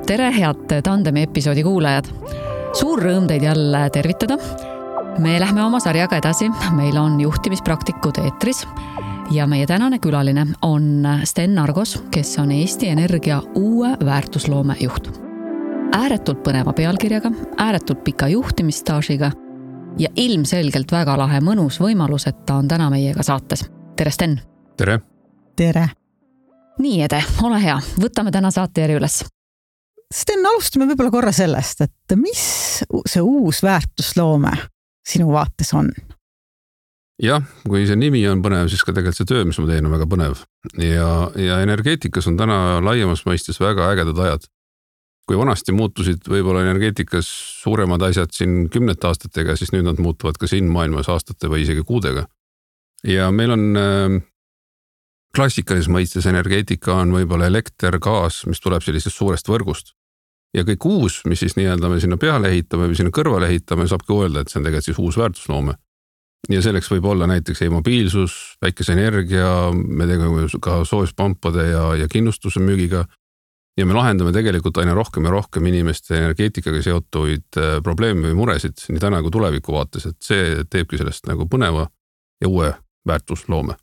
Tere, head Tandemi episoodi kuulajad. Suur rõõm teid jälle tervitada. Me lähme oma sarjaga edasi. Meil on juhtimispraktikud eetris ja meie tänane külaline on Sten Argos, kes on Eesti Energia uue väärtusloome juht. Ääretult põneva pealkirjaga, ääretult pika juhtimisstaažiga ja ilmselgelt väga lahe mõnus võimalus, et ta on täna meiega saates. Tere, Sten! Tere! Tere! Nii, Ede, ole hea. Võtame täna saate üles. Sten, alustame võib-olla korra sellest, et mis see uus väärtusloome sinu vaates on? Jah, kui see nimi on põnev, siis ka tegelikult see töö, mis ma teen, on väga põnev. Ja energeetikas on täna laiemas mõistes väga ägedad ajad. Kui vanasti muutusid võib-olla energeetikas suuremad asjad siin 10 aastatega, siis nüüd nad muutuvad ka siin maailmas aastate või isegi kuudega. Ja meil on klassikalis mõistes energeetika on võib-olla elekter, gaas, mis tuleb sellisest suurest võrgust. Ja kõik uus, mis siis nii-öelda me sinna peale ehitame või sinna kõrvale ehitame, saabki öelda, et see on tegelikult siis uus väärtusloome. Ja selleks võib olla näiteks e-mobiilsus, päikeseenergia, me tegeme ka soojuspampade ja kindlustuse müügiga. Ja me lahendame tegelikult aina rohkem ja rohkem inimeste energeetikaga seotuid probleeme või muresid nii täna kui tuleviku vaates, et see teebki sellest nagu põneva ja uue väärtusloome.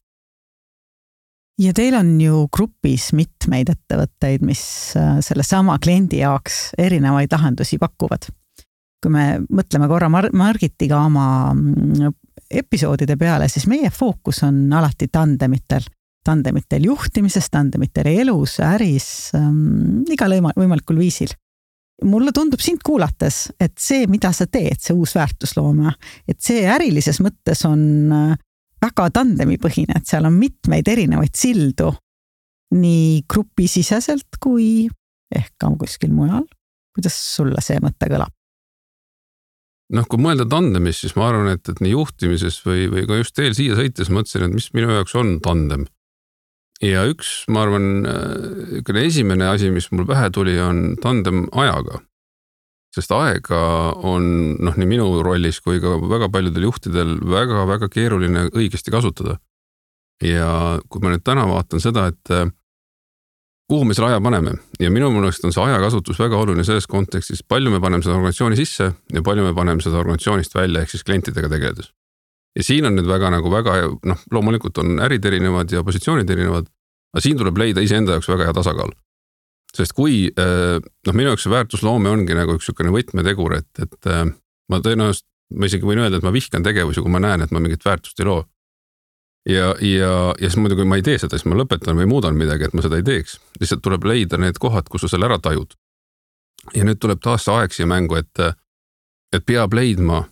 Ja teil on ju grupis mitmeid ettevõtteid, mis selle sama kliendi jaoks erinevaid lahendusi pakuvad. Kui me mõtleme korra Margitiga oma episoodide peale, siis meie fookus on alati tandemitel. Tandemitel juhtimises, tandemitel elus, äris, igal võimalikul viisil. Mulle tundub sind kuulates, et see, mida sa teed, see uus väärtusloome, et see ärilises mõttes on väga tandemipõhine, et seal on mitmeid erinevaid sildu nii grupisiseselt kui ehk ka kuskil mujal. Kuidas sulle see mõte kõlab? Kui mõelda tandemis, siis ma arvan, et nii juhtimises või ka just teel siia sõites mõtlesin, et mis minu jaoks on tandem. Ja üks, ma arvan, esimene asi, mis mul pähe tuli, on tandem ajaga. Sest aega on nii minu rollis kui ka väga paljudel juhtidel väga keeruline õigesti kasutada. Ja kui ma nüüd täna vaatan seda, et kuhu me selle aja paneme ja minu mõnest on see ajakasutus väga oluline selles kontekstis, palju me paneme seda organisatsiooni sisse ja palju me paneme seda organisatsioonist välja ehk siis klientidega tegeledes. Ja siin on nüüd väga loomulikult on ärid erinevad ja positsioonid erinevad, aga siin tuleb leida iseenda jaoks väga hea tasakaal. Sest kui, minu jaoks see väärtusloome ongi nagu üks sükene võtmetegur, et ma tõenäoliselt, ma isegi võin öelda, et ma vihkan tegevusi, kui ma näen, et ma mingit väärtust ei loo. Ja siis muidu, kui ma ei tee seda, siis ma lõpetan või muudan midagi, et ma seda ei teeks. Lihtsalt tuleb leida need kohad, kus sa selle ära tajud. Ja nüüd tuleb taas see aeg siia mängu, et peab leidma,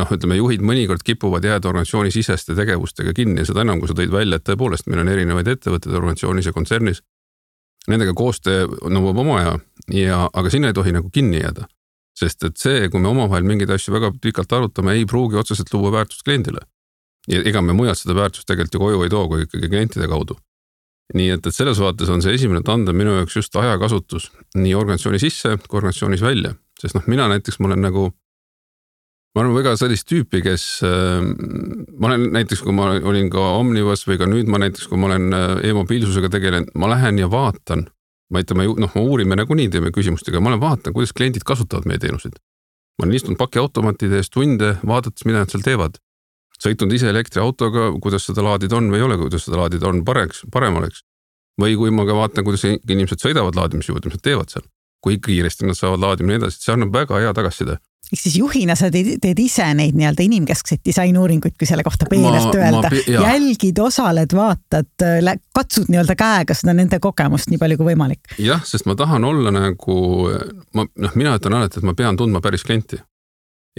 ütleme, juhid mõnikord kipuvad jääda organisatsiooni siseste tegevustega kinni ja seda enam, kui sa tõid välja, et tõepoolest meil on erinevaid ettevõtteid organisatsioonis ja kontsernis. Nendega koostöö nõuab oma aga sinna ei tohi nagu kinni jääda. Sest et see, kui me omavahel mingeid asju väga pikalt arutame, ei pruugi otseselt luua väärtust kliendile. Ja ega me mujalt seda väärtust tegelikult ju koju ei too, kui ikkagi klientide kaudu. Nii et selles vaates on see esimene tandem minu jaoks just ajakasutus nii organisatsiooni sisse kui organisatsioonis välja. Sest mina näiteks, ma olen väga sellist tüüpi, kes ma olen näiteks, kui ma olin ka Omnivas või ka nüüd ma näiteks, kui ma olen e-mobiilsusega tegelen, ma lähen ja vaatan, ma uurime nagunii teeme küsimustega, ma vaatan, kuidas kliendid kasutavad meie teenuseid. Ma olen istunud pakiautomatide ees tunde, vaadates, mida nad seal teevad. Sõitnud ise elektriautoga, kuidas seda laadid on või ei ole, kuidas seda laadid on parem oleks. Või kui ma ka vaatan, kuidas inimesed sõidavad laadimisjuurde, mis nad teevad seal. Kui kiiresti nad saavad laadimine edasi, see annab väga hea tagasiside. Ehk siis juhina sa teed ise neid inimkeskseid disainuuringuid, kui selle kohta peenelt öelda. Jälgid, osaled, vaatad, katsud käega seda nende kogemust nii palju kui võimalik. Jah, sest ma tahan olla mina ütlen alati, et ma pean tundma päris klienti.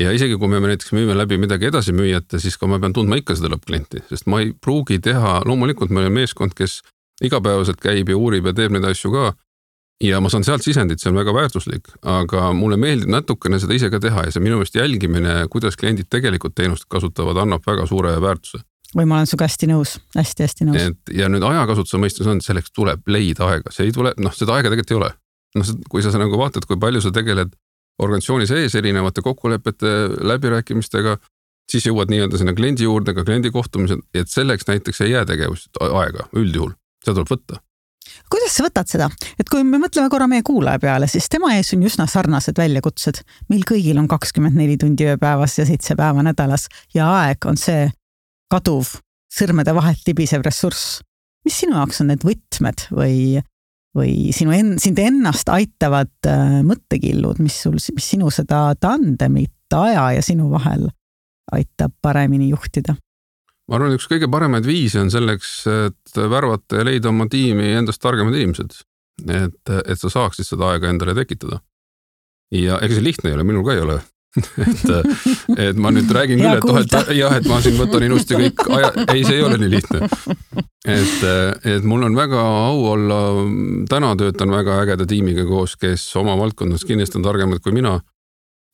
Ja isegi kui me näiteks müüme läbi midagi edasi müüjate, siis ka ma pean tundma ikka seda lõppklienti, sest ma ei pruugi teha, loomulikult meil on meeskond, kes igapäevaselt käib ja uurib ja teeb neid asju ka. Ja ma saan sealt sisendit, see on väga väärtuslik, aga mulle meeldib natukene seda ise ka teha ja see minu meelest jälgimine, kuidas kliendid tegelikult teenust kasutavad, annab väga suure väärtuse. Või ma olen suga hästi nõus, hästi nõus. Ja nüüd ajakasutuse mõistes on, selleks tuleb leida aega. See ei tule, seda aega tegelikult ei ole. Kui sa vaatad, kui palju sa tegeled organisatsiooni sees erinevate kokkulepete läbirääkimistega, siis jõuad nii-öelda sinna kliendi juurde, ka kliendi kohtumised, et selleks näiteks ei jää tegevust aega üldjuhul. Seda tuleb võtta. Kuidas sa võtad seda? Et kui me mõtleme korra meie kuulaja peale, siis tema ees on üsna sarnased väljakutsed. Meil kõigil on 24 tundi ööpäevas ja 7 päeva nädalas ja aeg on see kaduv, sõrmede vahelt libisev ressurss. Mis sinu jaoks on need võtmed või sind ennast aitavad mõttekillud, mis sinu seda tandemit aja ja sinu vahel aitab paremini juhtida? Ma arvan, üks kõige paremaid viise on selleks, et värvata ja leida oma tiimi endast targemad inimesed. Et sa saaksid seda aega endale tekitada. Ja ega see lihtne ei ole, minul ka ei ole. et ma nüüd räägin küll, et ma siin võtan ilusti kõik ei, see ei ole nii lihtne. Et mul on väga au olla, täna töötan väga ägeda tiimiga koos, kes oma valdkonnas kindlasti on targemad kui mina.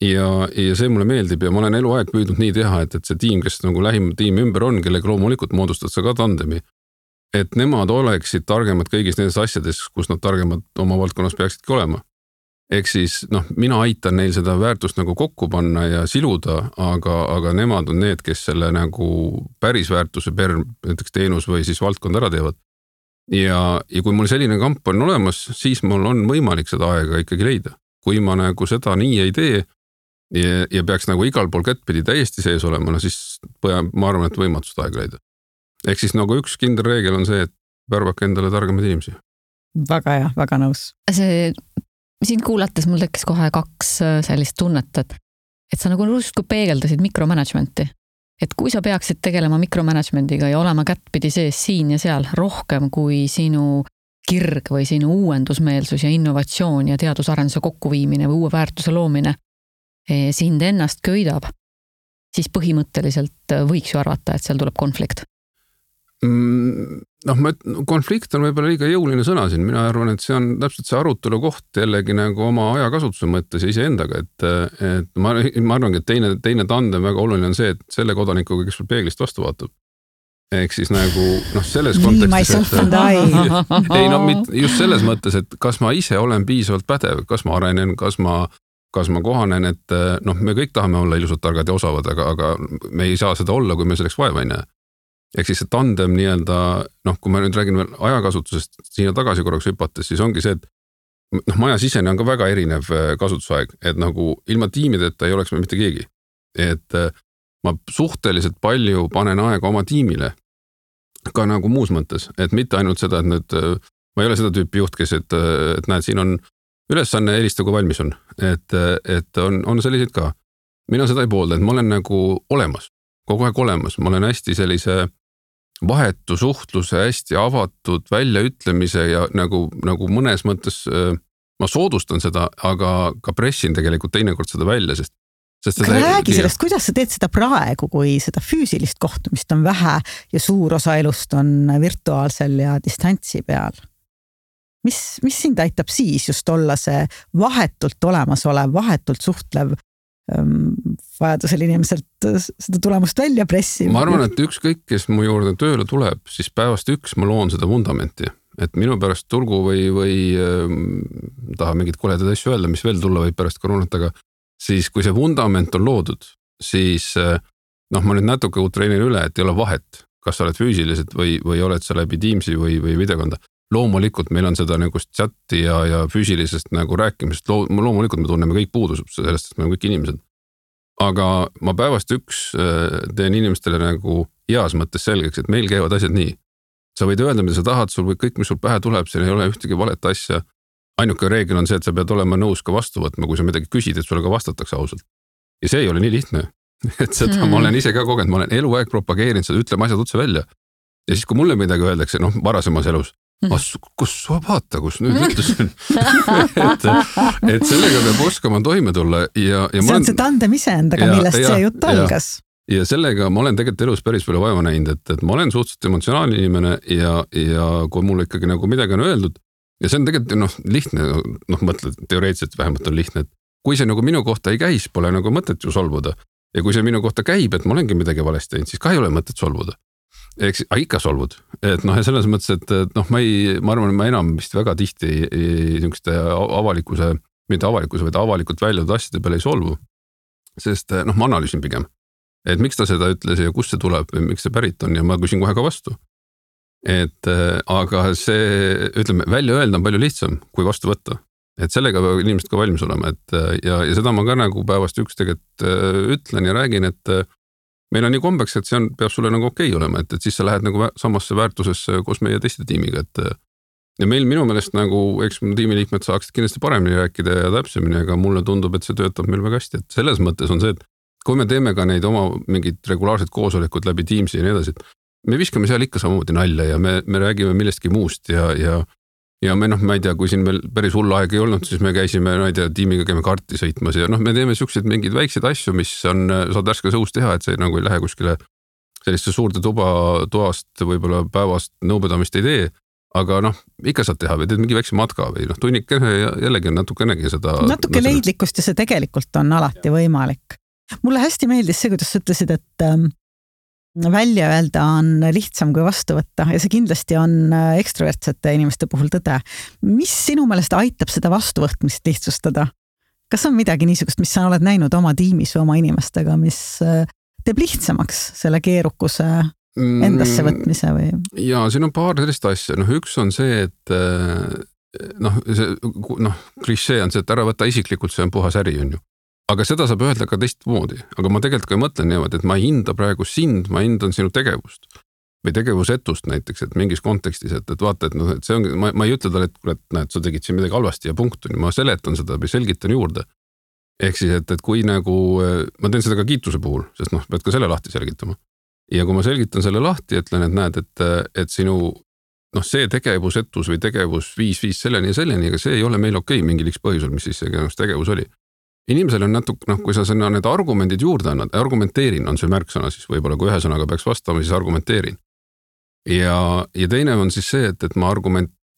Ja see mulle meeldib ja ma olen eluaeg püüdnud nii teha, et see tiim, kes nagu lähim tiim ümber on, kellega loomulikult moodustad sa ka tandemi, et nemad oleksid targemad kõigis nendes asjades, kus nad targemad oma valdkonnas peaksidki olema. Ehk siis, mina aitan neil seda väärtust nagu kokku panna ja siluda, aga nemad on need, kes selle nagu päris väärtuse per näiteks teenus või siis valdkond ära teevad. Ja kui mul selline kamp on olemas, siis mul on võimalik seda aega ikkagi leida. Kui ma nagu seda nii ei tee, ja peaks nagu igal pool kättpidi täiesti sees olema, siis ma arvan, et võimatust aega leida. Ehk siis nagu üks kindel reegel on see, et värvake endale targemad inimesi. Väga hea, väga nõus. Siin kuulates mul tekkis kohe 2 sellist tunnet, et sa nagu justkui peegeldasid mikromanagementi. Et kui sa peaksid tegelema mikromanagementiga ja olema kättpidi sees siin ja seal rohkem kui sinu kirg või sinu uuendusmeelsus ja innovatsioon ja teadusarenduse kokkuviimine või uue väärtuse loomine sind ennast köidab, siis põhimõtteliselt võiks ju arvata, et seal tuleb konflikt. Konflikt on võib-olla liiga jõuline sõna siin. Mina arvan, et see on täpselt see arutelu koht jällegi nagu oma ajakasutuse mõttes ja iseendaga, et ma arvangi, et teine tandem väga oluline on see, et selle kodanikuga, kes sul peeglist vastu vaatab. Ehk siis nagu selles kontekstis, just selles mõttes, et kas ma ise olen piisavalt pädev, kas ma arenen, kas ma kohanen, et me kõik tahame olla ilusad, targad ja osavad, aga me ei saa seda olla, kui me selleks vaeva ei näe. Ehk siis see tandem nii-öelda, kui ma nüüd räägin veel ajakasutusest siia tagasi korraks hüpates, siis ongi see, et maja sisene on ka väga erinev kasutusaeg, et nagu ilma tiimideta ei oleks me mitte keegi. Et ma suhteliselt palju panen aega oma tiimile, ka nagu muus mõttes, et mitte ainult seda, et nüüd, ma ei ole seda tüüpi juht, kes, et näed, siin on ülesanne, helista, kui valmis on. Et on selliseid ka. Mina seda ei poolda, et ma olen nagu olemas, kogu aeg olemas. Ma olen hästi sellise vahetu suhtluse, hästi avatud väljaütlemise ja nagu mõnes mõttes ma soodustan seda, aga ka pressin tegelikult teinekord seda välja, sest räägi sellest, kuidas sa teed seda praegu, kui seda füüsilist kohtumist on vähe ja suur osa elust on virtuaalsel ja distantsi peal? Mis sind aitab siis just olla see vahetult olemasolev, vahetult suhtlev vajadusel inimeselt seda tulemust välja pressima? Ma arvan, et ükskõik, kes mu juurde tööle tuleb, siis päevast 1 ma loon seda vundamenti. Et minu pärast tulgu või taha mingid koledad asju öelda, mis veel tulla võib pärast koroonat, aga siis kui see vundament on loodud, siis ma nüüd natuke treenin üle, et ei ole vahet, kas sa oled füüsiliselt või oled sa läbi Teamsi või videokonda. Loomulikult meil on seda nagu chati ja füüsilisest nagu rääkimist, loomulikult me tunneme kõik puudusub sellest, et me on kõik inimesed. Aga ma päevast 1 teen inimestele nagu heas mõttes selgeks, et meil käivad asjad nii. Sa võid öelda, mida sa tahad, sul või kõik, mis sul pähe tuleb, siin ei ole ühtegi valet asja. Ainuke reegel on see, et sa pead olema nõus ka vastu võtma, kui sa midagi küsid, et sulle ka vastatakse ausalt. Ja see ei ole nii lihtne. Et seda ma olen ise ka kogenud, ma olen eluaeg propageerinud seda, ütleme asjad otse välja. Ja siis, kui mulle midagi öeldakse, varasemas elus, kus sa vaata, kus nüüd ütlesin, et sellega peab oskama toime tulla. Ja see on see tandem iseendaga, millest see jutt algas. Ja sellega ma olen tegelikult elus päris palju vaeva näinud, et ma olen suhteliselt emotsionaalne inimene ja kui mulle ikkagi nagu midagi on öeldud, ja see on tegelikult lihtne, mõtled, teoreetiliselt vähemalt on lihtne, et kui see nagu minu kohta ei käis, pole nagu mõtet ju solvuda. Ja kui see minu kohta käib, et ma olengi midagi valesti teinud, siis ka ei ole mõtet solvuda. Eks ikka solvud, et ja selles mõttes, et ma arvan, ma enam vist väga tihti niisuguste mitte avalikkuse, vaid avalikult väljadud asjade peale ei solvu, sest ma analüüsin pigem, et miks ta seda ütles ja kust see tuleb või miks see pärit on ja ma küsin kohe ka vastu. Aga see, ütleme, välja öelda on palju lihtsam kui vastu võtta. Et sellega peavad inimesed ka valmis olema, ja seda ma ka nagu päevast üks tegelikult ütlen ja räägin, et meil on nii kombeks, et see peab sulle nagu okei olema, et siis sa lähed nagu samasse väärtusesse koos meie teiste tiimiga, ja meil minu meelest nagu, eks tiimiliikmed saaksid kindlasti paremini rääkida ja täpsemini, aga mulle tundub, et see töötab meil väga hästi, et selles mõttes on see, et kui me teeme ka neid oma mingid regulaarset koosolekud läbi Teamsi ja nii edasi, me viskame seal ikka samamoodi nalja ja me räägime millestki muust ja me ma ei tea, kui siin veel päris hull aeg ei olnud, siis me käisime, ma ei tea, tiimiga käime karti sõitmas ja me teeme siukseid mingeid väikseid asju, mis saad värske sõust teha, et see nagu ei lähe kuskile selliste suurde toast võib-olla päevast nõupidamist ei tee, aga ikka saad teha või teed mingi väikse matka või tunnikene ja jällegi natukenegi seda. Natuke leidlikkust ja see tegelikult on alati võimalik. Mulle hästi meeldis see, kuidas sa ütlesid, et välja öelda on lihtsam kui vastu võtta ja see kindlasti on ekstrovertsete inimeste puhul tõde. Mis sinu meelest aitab seda vastuvõtmist lihtsustada? Kas on midagi niisugust, mis sa oled näinud oma tiimis või oma inimestega, mis teeb lihtsamaks selle keerukuse endasse võtmise või? Ja siin on paar sellist asja. Üks on see, et klišee on see, et ära võtta isiklikult, see on puhas äri, on ju. Aga seda saab öelda ka teistmoodi, aga ma tegelikult ka mõtlen niimoodi, et ma ei hinda praegu sind, ma hindan sinu tegevust või tegevusetust näiteks, et mingis kontekstis, et vaata, et see ongi, ma ei ütle talle, et näed, sa tegid siin midagi halvasti ja punkt, ma seletan seda või selgitan juurde. Ehk siis, et kui nagu, ma teen seda ka kiituse puhul, sest pead ka selle lahti selgitama. Ja kui ma selgitan selle lahti, ütlen, et näed, et sinu see tegevusetus või tegevus viis selleni ja selleni, aga see ei ole meil okei mingil X põhjusel, mis siis see tegevus oli. Inimesel on natuke, kui sa need argumendid juurde annad, argumenteerin on see märksõna siis võib-olla, kui ühe sõnaga peaks vastama, siis argumenteerin. Ja teine on siis see, et ma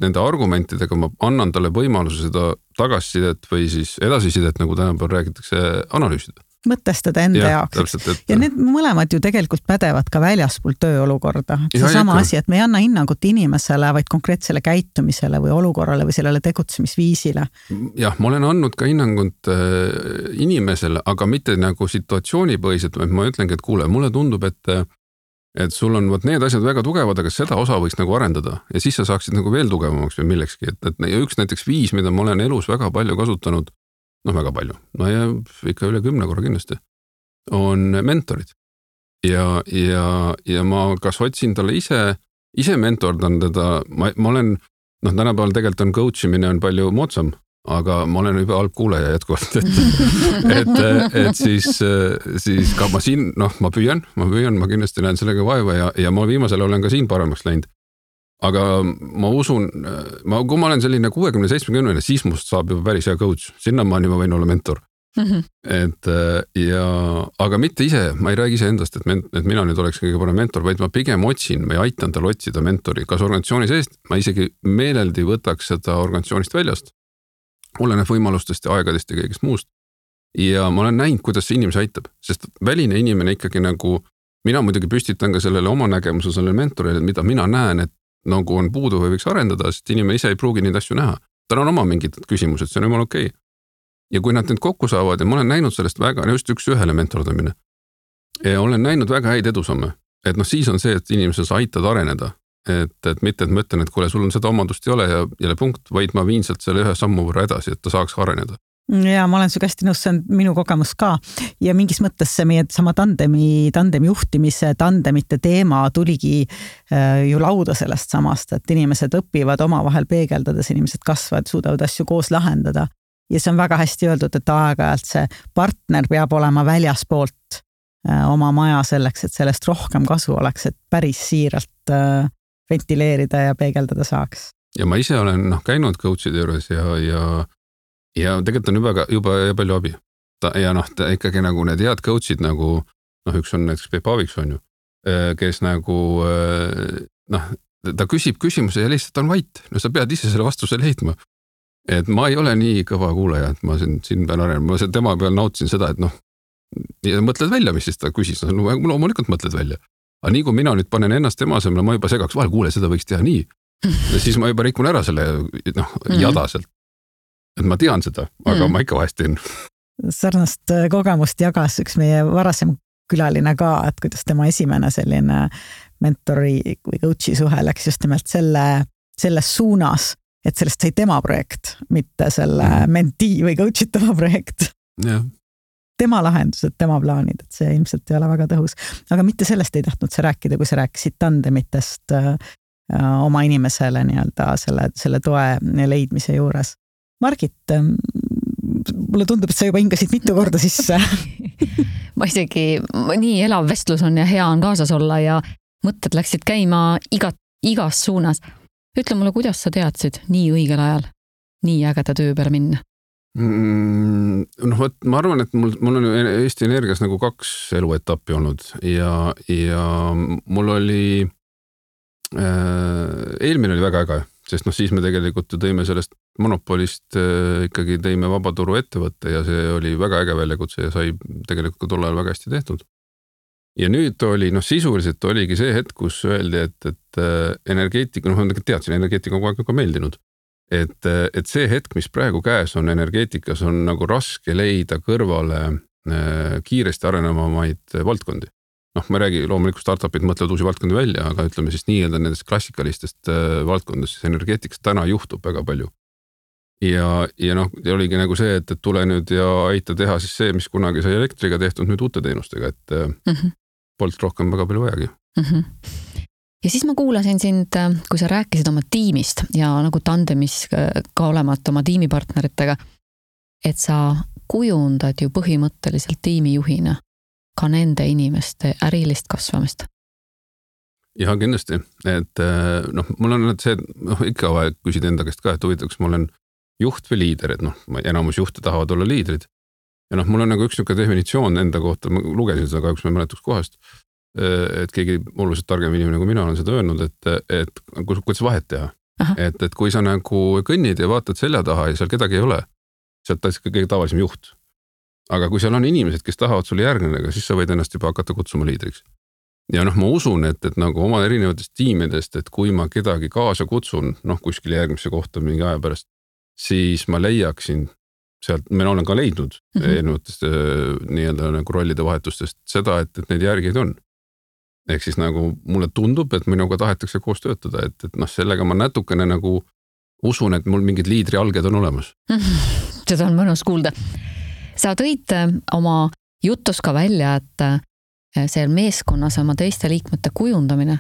nende argumentidega ma annan talle võimaluse seda tagasisidet või siis edasisidet, nagu tänapäeval räägitakse, analüüsida. Mõtestada enda jaoks. Täpselt, ja need mõlemad ju tegelikult pädevad ka väljaspool tööolukorda. See sama asi, et me ei anna hinnangut inimesele, vaid konkreetsele käitumisele või olukorrale või sellele tegutsemisviisile. Jah, ma olen andnud ka hinnangut inimesele, aga mitte nagu situatsioonipõhiselt, vaid ma ütlengi, et kuule, mulle tundub, et sul on need asjad väga tugevad, aga seda osa võiks nagu arendada ja siis sa saaksid nagu veel tugevamaks või millekski. Ja üks näiteks viis, mida ma olen elus väga palju kasutanud, väga palju, ja ikka üle 10 korra kindlasti, on mentorid. Ja ma kas otsin talle ise mentordan teda, ma olen, tänapäeval tegelikult on coach imine on palju moodsam, aga ma olen juba halb kuulaja jätkuvalt, et siis ka ma siin, ma püüan, ma kindlasti näen sellega vaeva ja ma viimasel olen ka siin paremaks läinud. Aga ma usun, kui ma olen selline 60-70, siis must saab juba päris hea coach. Sinnamaani ma võin olla mentor. Aga mitte ise, ma ei räägi ise endast, et mina nüüd oleks kõige parem mentor, vaid ma pigem otsin või aitan tal otsida mentori. Kas organisatsiooni seest, ma isegi meeleldi võtaks seda organisatsioonist väljast. Oleneb võimalustest ja aegadest ja kõigest muust. Ja ma olen näinud, kuidas see inimese aitab, sest väline inimene ikkagi nagu, mina muidugi püstitan ka sellele oma nägemuse, sellele mentorile, mida mina näen, et nagu on puudu või võiks arendada, sest inimene ise ei pruugi neid asju näha. Tal on oma mingid küsimused, see on jumal okei. Ja kui nad need kokku saavad ja ma olen näinud sellest väga, just üks ühele mentordamine, ja olen näinud väga häid edusamme, et siis on see, et inimesel sa aitad areneda, et mitte, et ma ütlen, et kuule, sul on seda omadust ei ole ja jälle punkt, vaid ma viin sealt selle ühe sammu võrra edasi, et ta saaks areneda. Ja ma olen su hästi nõus, see on minu kogemus ka ja mingis mõttes see meie sama tandemi juhtimise tandemite teema tuligi ju lauda sellest samast, et inimesed õpivad omavahel peegeldades, inimesed kasvavad, suudavad asju koos lahendada ja see on väga hästi öeldud, et aeg-ajalt see partner peab olema väljaspoolt oma maja selleks, et sellest rohkem kasu oleks, et päris siiralt ventileerida ja peegeldada saaks. Ja ma ise olen käinud coachide juures ja tegelikult on juba palju abi. Ja ikkagi nagu need head coachid nagu, üks on näiteks Peep Aaviks on ju, kes nagu, ta küsib küsimuse ja lihtsalt on vait. Sa pead ise selle vastuse leidma. Et ma ei ole nii kõva kuulaja, et ma siin pean arenema. Ma tema peal nautisin seda, et ja mõtled välja, mis siis ta küsis. Loomulikult mõtled välja. Aga nii kui mina nüüd panen ennast tema asemel, ma juba segaks vahel, kuule, seda võiks teha nii. Ja siis ma juba rikun ära selle jadaselt. Et ma tean seda, aga ma ikka vahest teen. Sarnast kogemust jagas üks meie varasem külaline ka, et kuidas tema esimene selline mentori või coach'i suhe läks just nimelt selles suunas, et sellest sai tema projekt, mitte selle mentee või coach'itava projekt. Yeah. Tema lahendused, tema plaanid, et see ilmselt ei ole väga tõhus. Aga mitte sellest ei tahtnud sa rääkida, kui sa rääkisid tandemitest oma inimesele nii-öelda selle toe leidmise juures. Margit, mulle tundub, et sa juba hingasid mitu korda sisse. Ma isegi, nii elav vestlus on ja hea on kaasas olla ja mõtted läksid käima igas suunas. Ütle mulle, kuidas sa teadsid nii õigel ajal, nii ägeda töö peale minna? Ma arvan, et mul on Eesti Energias nagu 2 eluetappi olnud ja mul oli eelmine oli väga äge, sest siis me tegelikult tõime sellest monopolist ikkagi tõime vabaturu ettevõtte ja see oli väga äge väljakutse ja sai tegelikult tol ajal väga hästi tehtud. Ja nüüd oli, sisuliselt oligi see hetk, kus öeldi, et energeetika, ma teadsin, energeetika kogu aeg meeldinud. Et see hetk, mis praegu käes on energeetikas, on nagu raske leida kõrvale kiiresti arenevamaid valdkondi. Ma räägi, loomulikult startupid mõtlevad uusi valdkondi välja, aga ütleme siis nii-öelda nendest klassikalistest valdkondest energeetikas täna juhtub väga palju. Ja oligi nagu see, et tule nüüd ja aita teha siis see, mis kunagi sai elektriga tehtud nüüd uute teenustega, et polnud rohkem väga palju vajagi. Ja siis ma kuulasin sind, kui sa rääkisid oma tiimist ja nagu tandemis ka olemat oma tiimipartneritega, et sa kujundad ju põhimõtteliselt tiimijuhina ka nende inimeste ärilist kasvamist. Ja kindlasti, et mul on see, ikka vaja küsida enda käest ka, et huvitaks, ma olen juht või liider, et enamus juhte tahavad olla liidrid. Ja mul on nagu üks definitsioon enda kohta, ma lugesin seda kahjuks, ma mäletuks kohast, et keegi oluliselt targem inimene kui mina olen seda öelnud, et kuidas vahet teha. Et kui sa nagu kõnnid ja vaatad selja taha ja seal kedagi ei ole, sealt ta kõige tavalisem juht. Aga kui seal on inimesed, kes tahavad sulle järgneda, siis sa võid ennast juba hakata kutsuma liidriks. Ja ma usun, et nagu oma erinevatest tiimidest, et kui ma kedagi kaasa kutsun, kuskil järgmisse kohta mingi aja pärast, siis ma leiaksin sealt, ma olen ka leidnud erinevatest nii-öelda nagu rollide vahetustest seda, et neid järgijaid on. Ehk siis nagu mulle tundub, et minuga tahetakse koos töötada, et sellega ma natukene nagu usun, et mul mingid liidri alged on olemas. Seda on mõnus kuulda. Sa tõid oma jutus ka välja, et see meeskonnas oma teiste liikmete kujundamine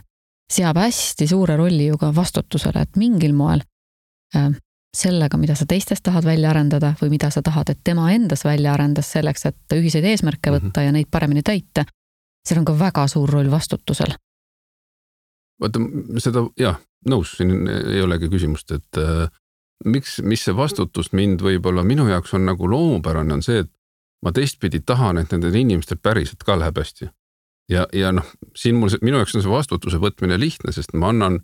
seab hästi suure rolli ju ka vastutusele, et mingil moel sellega, mida sa teistest tahad välja arendada või mida sa tahad, et tema endas välja arendas selleks, et ühiseid eesmärke võtta ja neid paremini täita. See on ka väga suur roll vastutusel. Vaata, seda, nõus, siin ei olegi küsimust, et mis see vastutus mind võib-olla minu jaoks on nagu loomupärane on see, et ma teistpidi tahan, et nendel inimestel päriselt ka läheb hästi. Ja siin minu jaoks on see vastutuse võtmine lihtne, sest ma annan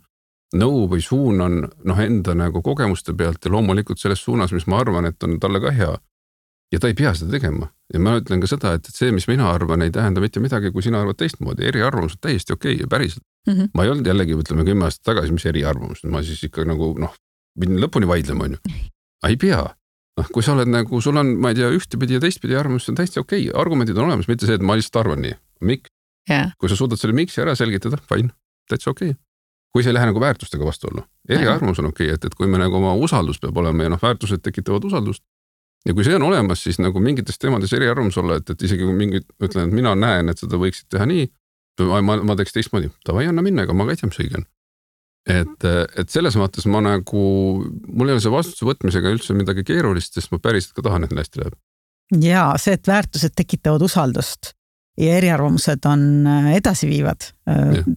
nõu või suunan enda nagu kogemuste pealt ja loomulikult selles suunas, mis ma arvan, et on talle ka hea. Ja ta ei pea seda tegema. Ja ma ütlen ka seda, et see, mis mina arvan, ei tähenda mitte midagi, kui sina arvad teistmoodi. Eriarvamus on täiesti okei ja päriselt. Ma ei olnud jällegi, ütleme 10 aastat tagasi, mis eriarvamus. Ma siis ikka nagu, pidin lõpuni vaidlema, on ju. Ei pea. Kui sa oled nagu, sul on, ma ei tea, ühtepidi ja teistpidi arvamus, see on täiesti okei. Argumendid on olemas, mitte see, et ma lihtsalt arvan nii. Miks? Yeah. Kui sa suudad selle miksi ära selgitada, fine, täitsa okei. Kui see ei lähe nagu väärtustega vastu olla. Eriarvamus on okei, et kui me nagu oma usaldus peab olema ja väärtused tekitavad usaldust. Ja kui see on olemas, siis nagu mingites teemades eriarvamus olla, et isegi kui mingid, ütlen, et mina näen, et seda võiksid teha nii, ma teeks teistmoodi, tavai anna minna, ega ma ka ei tea, mis õige on. Et selles mõttes ma nagu, mul ei ole see vastutuse võtmisega üldse midagi keerulist, sest ma päriselt ka tahan, et hästi läheb. Ja see, et väärtused tekitavad usaldust ja eriarvamused on edasiviivad,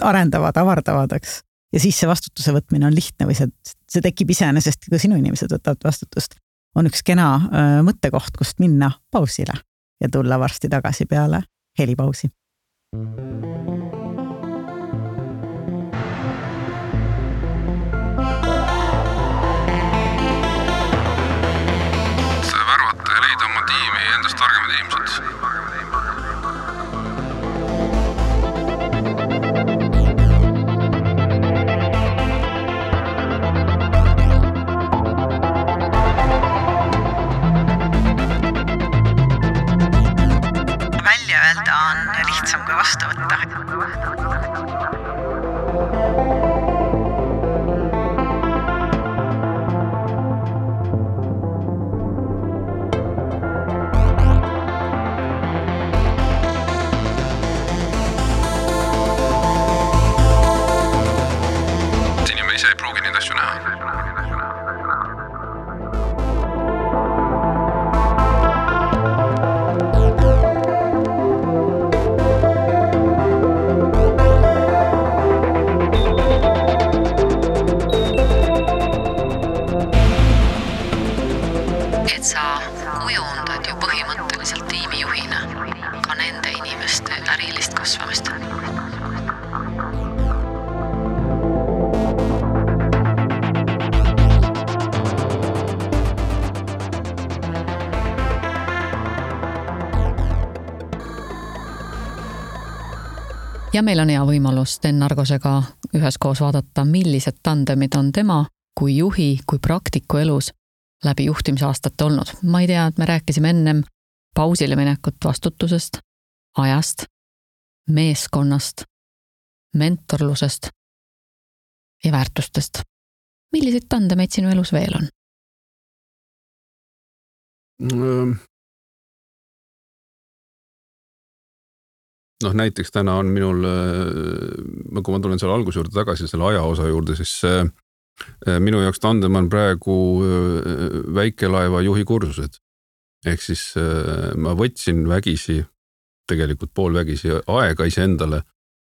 arendavad, avardavad, eks. Ja siis see vastutuse võtmine on lihtne või see tekib iseenesest, kui sinu inimesed võtavad vastutust. On üks kena mõttekoht, kust minna pausile ja tulla varsti tagasi peale helipausi. Värvata ja leida oma tiimi endast targemad inimesed. Välja öelda on lihtsam kui vastu võtta. pruugi neid asju näha. Et sa kujundad ju põhimõtteliselt tiimijuhina ka nende inimeste ärilist kasvamist. Ja meil on hea võimalus Sten Argosega üheskoos vaadata, millised tandemid on tema kui juhi, kui praktiku elus läbi juhtimisaastate olnud. Ma ei tea, et me rääkisime ennem pausile minekut vastutusest, ajast, meeskonnast, mentorlusest ja väärtustest. Milliseid tandemeid sinu elus veel on? Näiteks täna on minul, kui ma tulen selle alguse juurde tagasi, selle aja osa juurde, siis minu jaoks tandem on praegu väikelaeva juhi kursused. Ehk siis ma võtsin vägisi, tegelikult poolvägisi aega iseendale,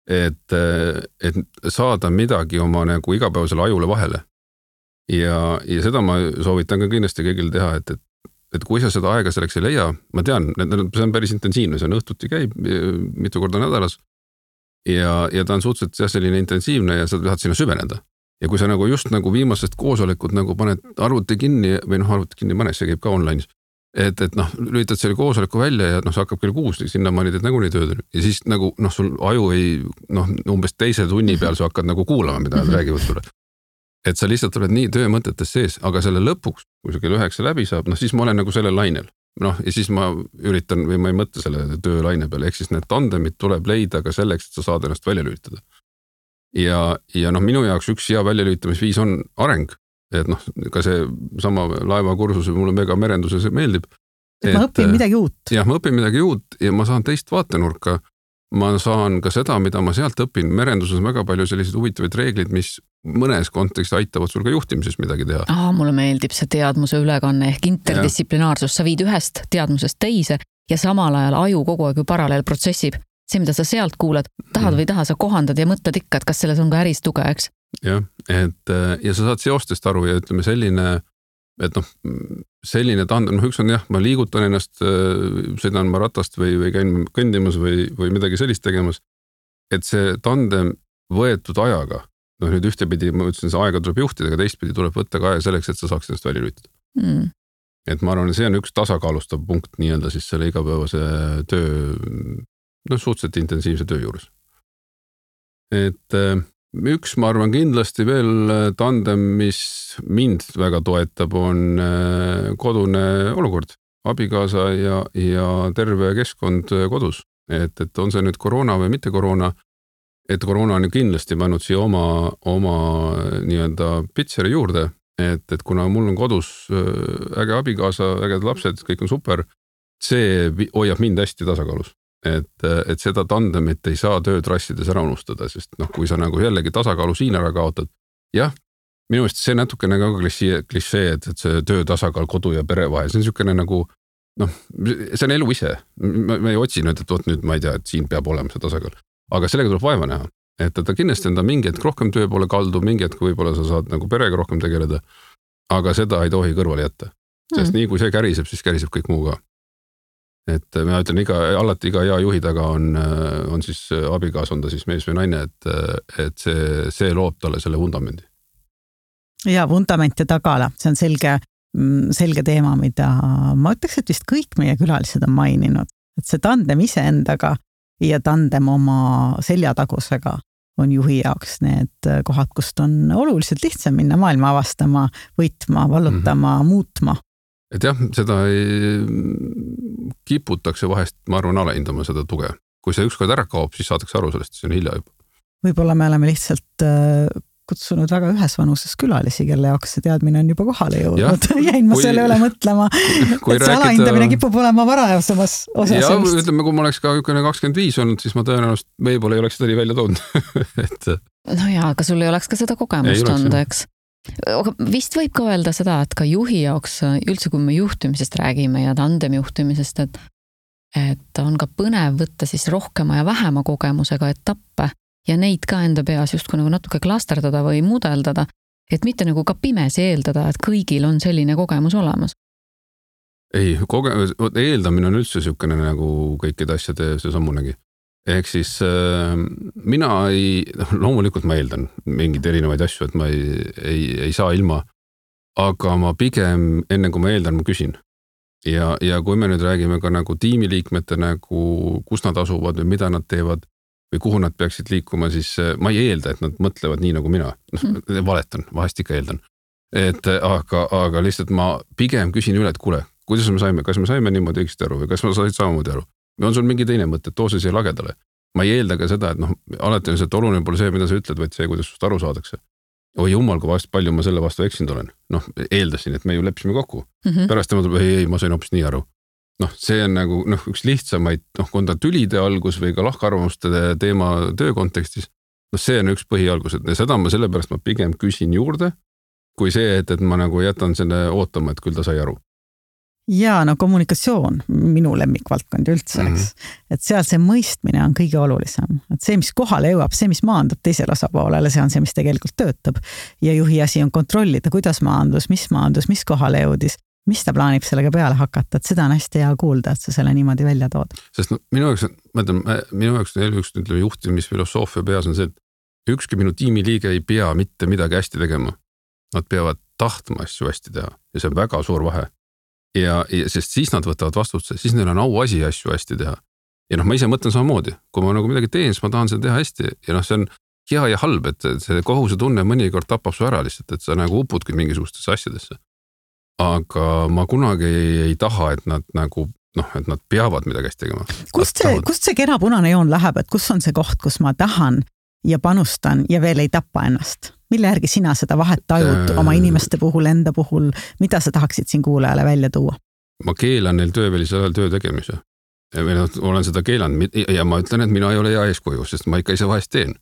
et saada midagi oma nagu igapäevasele ajule vahele. Ja seda ma soovitan ka kindlasti kõigil teha, et kui sa seda aega selleks ei leia, ma tean, see on päris intensiivne, see on õhtuti käib mitu korda nädalas ja ta on suhteliselt selline intensiivne ja sa tahad sinna süveneda. Ja kui sa nagu just nagu viimasest koosolekut nagu paned arvuti kinni või arvuti kinni panes, see käib ka online, et lülitad selle koosoleku välja ja see hakkab kell 6, sinna ma olid nagu nii tööd ja siis nagu sul aju ei, umbes teise tunni peal sa hakkad nagu kuulama, mida nad räägivad sulle. Et sa lihtsalt oled nii töömõtetes sees, aga selle lõpuks, kui see kell 9 läbi saab, siis ma olen nagu selle lainel. Ja siis ma üritan või ma ei mõtle selle töölaine peale, ehk siis need tandemid tuleb leida ka selleks, et sa saad ennast välja lülitada. Ja minu jaoks üks hea väljalülitamisviis on areng, et ka see sama laevakursus, mulle mega merenduses meeldib. Et ma õpin midagi uut. Jah, ma õpin midagi uut ja ma saan teist vaatenurka. Ma saan ka seda, mida ma sealt õpin. Merenduses on väga palju selliseid huvitavaid reeglid, mis mõnes kontekstis aitavad sul ka juhtimises midagi teha. Mulle meeldib see teadmuse ülekanne ehk interdistsiplinaarsus. Sa viid ühest teadmusest teise ja samal ajal aju kogu aeg paralleel protsessib. See, mida sa sealt kuuled, tahad või taha, sa kohandad ja mõtled ikka, et kas selles on ka äris tuge, eks? Jah, ja sa saad seostest aru ja ütleme selline, et selline tandem, üks on ma liigutan ennast, sõidan ma ratast või käin kõndimas või midagi sellist tegemas, et see tandem võetud ajaga, nüüd ühtepidi, ma ütlesin, see aega tuleb juhtida, aga teistpidi tuleb võtta ka aja selleks, et sa saaks ennast välja lülitada. Et ma arvan, see on üks tasakaalustav punkt nii-öelda siis selle igapäevase töö, suhteliselt intensiivse töö juures. Et üks, ma arvan, kindlasti veel tandem, mis mind väga toetab, on kodune olukord, abikaasa ja terve keskkond kodus. Et on see nüüd koroona või mitte koroona, et koroona on kindlasti pannud siia oma nii-öelda pitseri juurde, et kuna mul on kodus äge abikaasa, äged lapsed, kõik on super, see hoiab mind hästi tasakaalus. Et seda tandemit ei saa töötrassides ära unustada, sest kui sa nagu jällegi tasakaalu siin ära kaotad, jah, minu meelest see natukene ka klišee, et see töö tasakaal kodu ja pere vahel, see on niisugune nagu, see on elu ise. Ma ei otsi nüüd, et nüüd ma ei tea, et siin peab olema see tasakaal, aga sellega tuleb vaeva näha, et ta kindlasti on ta mingi hetk rohkem töö poole kaldu, mingi hetk võib-olla sa saad nagu perega rohkem tegeleda, aga seda ei tohi kõrvale jätta, sest nii kui see käriseb, siis käriseb kõik muu ka. Et ma ütlen, alati iga hea juhi taga on siis abikaas, on ta siis mees või naine, et see loob talle selle vundamendi. Ja vundament ja tagala, see on selge teema, mida ma ütleks, et vist kõik meie külalised on maininud. Et see tandem iseendaga ja tandem oma seljatagusega on juhi jaoks need kohad, kust on oluliselt lihtsam minna maailma avastama, võitma, vallutama, muutma. Et jah, seda ei kiputakse vahest, ma arvan, alahindama seda tuge. Kui see ükskord ära kaob, siis saadakse aru sellest, see on hilja juba. Võib-olla me oleme lihtsalt kutsunud väga ühes vanuses külalisi, kelle jaoks see teadmine on juba kohale jõudnud. Jäin ma selle üle mõtlema, et see alahindamine kipub olema varajasemas osas. Ja ütleme, kui ma oleks ka 25 olnud, siis ma tõenäoliselt võib-olla ei oleks seda nii välja toonud. No jaa, aga sul ei oleks ka seda kogemust olnud, eks? Vist võib ka öelda seda, et ka juhi jaoks üldse, kui me juhtimisest räägime ja tandem juhtimisest, et on ka põnev võtta siis rohkema ja vähema kogemusega etappe ja neid ka enda peas justkui nagu natuke klasterdada või mudeldada, et mitte nagu ka pimesi eeldada, et kõigil on selline kogemus olemas. Ei, eeldamine on üldse niisugune nagu kõikide asjade see sammunegi. Ehk siis mina loomulikult ma eeldan mingeid erinevaid asju, et ma ei saa ilma, aga ma pigem enne kui ma eeldan, ma küsin. Ja kui me nüüd räägime ka nagu tiimiliikmete nagu, kus nad asuvad või mida nad teevad või kuhu nad peaksid liikuma, siis ma ei eelda, et nad mõtlevad nii nagu mina. Valetan, vahest ikka eeldan. Aga lihtsalt ma pigem küsin üle, et kuule, kuidas me saime, kas me saime niimoodi õigesti aru või kas ma said samamoodi aru? Või on sul mingi teine mõte, et too see siia lagedale? Ma ei eelda ka seda, et alati on see, et oluline pole see, mida sa ütled, vaid see, kuidas sust aru saadakse. Oi jumal, kui vast palju ma selle vastu eksinud olen. Eeldasin, et me ju leppisime kokku. Pärast tema tuleb, ei, ma sain hoopis nii aru. See on nagu üks lihtsamaid, kui on ta tülide algus või ka lahkarvamuste teema töö kontekstis. See on üks põhialgus, et seda ma sellepärast ma pigem küsin juurde, kui see, et ma nagu jätan selle ootama, et küll ta sai aru. Ja kommunikatsioon, minu lemmikvaldkond üldse, et seal see mõistmine on kõige olulisem. Et see, mis kohale jõuab, see, mis maandub teisele osapoolele, see on see, mis tegelikult töötab. Ja juhi asi on kontrollida, kuidas maandus, mis kohale jõudis, mis ta plaanib sellega peale hakata, et seda on hästi hea kuulda, et sa selle niimoodi välja tood. Sest minu jaoks ütleme, juhtimisfilosoofia peas on see, et ükski minu tiimiliige ei pea mitte midagi hästi tegema. Nad peavad tahtma asju hästi teha ja see on väga suur vahe. Ja sest siis nad võtavad vastutuse, siis neil on auasi asju hästi teha. Ja ma ise mõtlen samamoodi, kui ma nagu midagi teen, siis ma tahan seda teha hästi ja see on hea ja halb, et see kohuse tunne mõnikord tapab su ära lihtsalt, et sa nagu upudki mingisugustesse asjadesse. Aga ma kunagi ei taha, et nad nagu, et nad peavad midagi hästi tegema. Kust see kena punane joon läheb, et kus on see koht, kus ma tahan ja panustan ja veel ei tappa ennast? Mille järgi sina seda vahet tajud oma inimeste puhul, enda puhul, mida sa tahaksid siin kuulajale välja tuua? Ma keelan neil töövälisel ajal töö tegemise. Olen seda keelanud ja ma ütlen, et mina ei ole hea eeskuju, sest ma ikka ise vahest teen.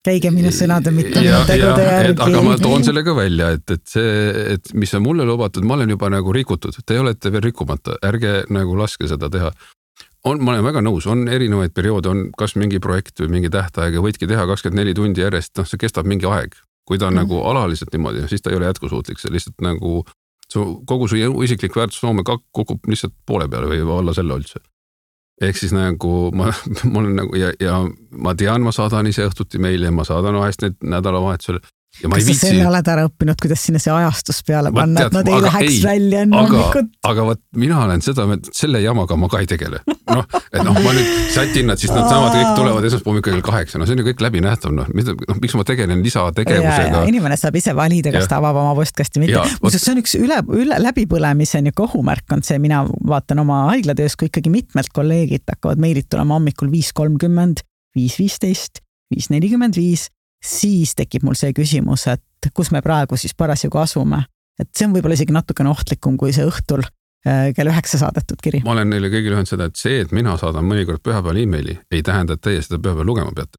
Käige minu sõnade mitte tegude järgi. Aga ma toon selle ka välja, et mis on mulle lubatud, ma olen juba nagu rikutud. Te olete veel rikkumata, ärge nagu laske seda teha. Ma olen väga nõus, on erinevaid perioode, on kas mingi projekt või mingi tähtaeg ja võidki teha 24 tundi järjest, see kestab mingi aeg. Kui ta on nagu alaliselt niimoodi, siis ta ei ole jätkusuutlik, see lihtsalt nagu kogu su isiklik väärtusloome kukub lihtsalt poole peale või alla selle üldse. Ehk siis nagu ma olen nagu ja ma tean, ma saadan ise õhtuti meile ja ma saadan vahest need nädalavahetusel. Kas sa selle oled ära õppinud, kuidas sinna see ajastus peale panna, et nad ei läheks välja enne hommikut? Aga mina olen seda, selle jamaga ma ka ei tegele. Ma nüüd sätin nad, siis nad saavad kõik tulevad esmaspäeval kell 8. See on ju kõik läbi nähtav. Miks ma tegelen lisategevusega? Inimene saab ise valida, kas ta avab oma postkasti mitte. See on üks läbipõlemise kohumärk on see, mina vaatan oma haiglatöös, kui ikkagi mitmelt kolleegid hakkavad meilit tulema hommikul 5.30, 5.15, 5.45, siis tekib mul see küsimus, et kus me praegu siis parasjagu asume. Et see on võib-olla isegi natukene ohtlikum kui see õhtul kell 9 saadetud kiri. Ma olen neile kõigile öelnud seda, et see, et mina saadan mõnikord pühapäeval e-maili, ei tähenda, et teie seda pühapäeval lugema peate.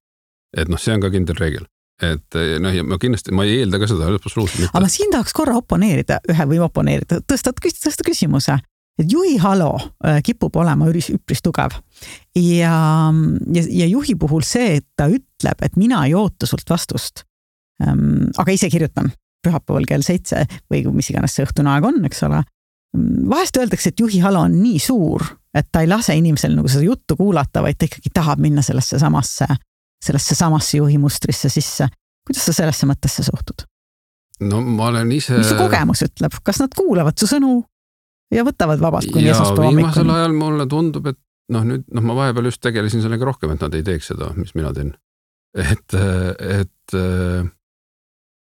Et see on ka kindel reegel. Et ja ma ei eelda ka seda absoluutselt mitte. Aga ma siin tahaks korra tõsta küsimuse. Et juhi halo kipub olema üpris tugev ja juhi puhul see, et ta ütleb, et mina ei oota sult vastust, aga ise kirjutan pühapäeval kell 7 või mis iganes see õhtune aeg on, eks ole. Vahest öeldakse, et juhi halo on nii suur, et ta ei lase inimesel nagu seda juttu kuulata, vaid ta ikkagi tahab minna sellesse samasse juhi mustrisse sisse. Kuidas sa sellesse mõttesse suhtud? No ma olen ise... Mis su kogemus ütleb? Kas nad kuulavad su sõnu? Ja võtavad vabalt kuni esmaspäeva hommikuni. Viimasel ajal mulle tundub, et nüüd ma vahepeal just tegelesin sellega rohkem, et nad ei teeks seda, mis mina teen. Et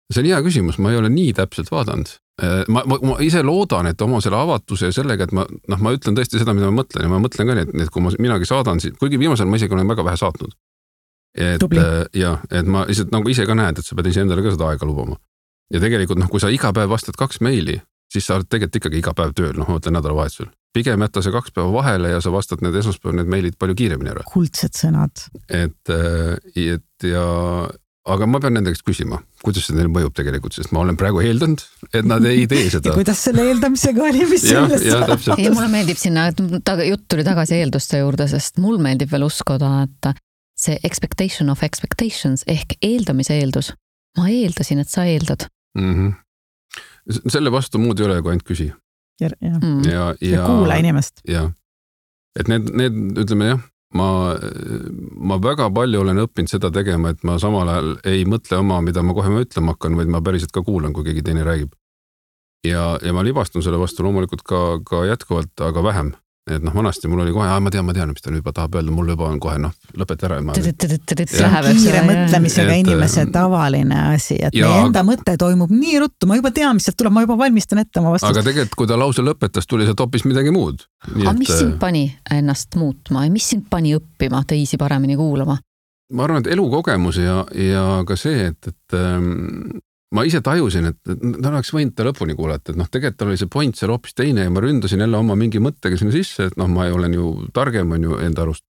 see on hea küsimus, ma ei ole nii täpselt vaadanud. Ma ise loodan, et oma selle avatuse ja sellega, et ma ütlen tõesti seda, mida ma mõtlen ja ma mõtlen ka, et kui minagi saadan, kuigi viimasel ma isegi olen väga vähe saatnud. et ma lihtsalt nagu ise ka näed, et sa pead ise endale ka seda aega lubama. Ja tegelikult kui sa iga päev vastad 2 meili, siis sa oled tegelikult ikkagi iga päev tööl, ma mõtlen nädalavahetusel. Pigem jätta see 2 päeva vahele ja sa vastad need esmaspäev need meilid palju kiiremini ära. Kuldsed sõnad. Aga ma pean nende käest küsima, kuidas see neil mõjub tegelikult, sest ma olen praegu eeldanud, et nad ei tee seda. Kuidas selle eeldamisega oli, mis sellest? Ei, mulle meeldib sinna, jutt tuli tagasi eelduste juurde, sest mul meeldib veel uskuda, et see expectation of expectations ehk eeldamise eeldus. Ma eeldasin, et sa eeldad. Selle vastu muud ei ole, kui ainult küsi. Ja kuula inimest. Ja. Et need ütleme jah, ma väga palju olen õppinud seda tegema, et ma samal ajal ei mõtle oma, mida ma kohe ütlema hakkan, vaid ma päriselt ka kuulan, kui keegi teine räägib. Ja ma libastun selle vastu loomulikult ka jätkuvalt, aga vähem. Et vanasti mul oli kohe, ma tean, mis ta nüüd juba tahab öelda, mul juba on kohe, lõpeta ära. Kiire mõtlemisega inimese tavaline asi, et meie enda mõte toimub nii ruttu, ma juba tean, mis sealt tuleb, ma juba valmistan ette oma vastust. Aga tegelikult, kui ta lause lõpetas, tuli sealt hoopis midagi muud. Aga mis sind pani ennast muutma ja mis sind pani õppima teisi paremini kuulama? Ma arvan, et elukogemus ja ka see, et ma ise tajusin, et ta oleks võinud ta lõpuni kuulata, et tegelikult oli see point seal hoopis teine ja ma ründasin jälle oma mingi mõttega sinna sisse, et ma olen ju targem on ju enda arust.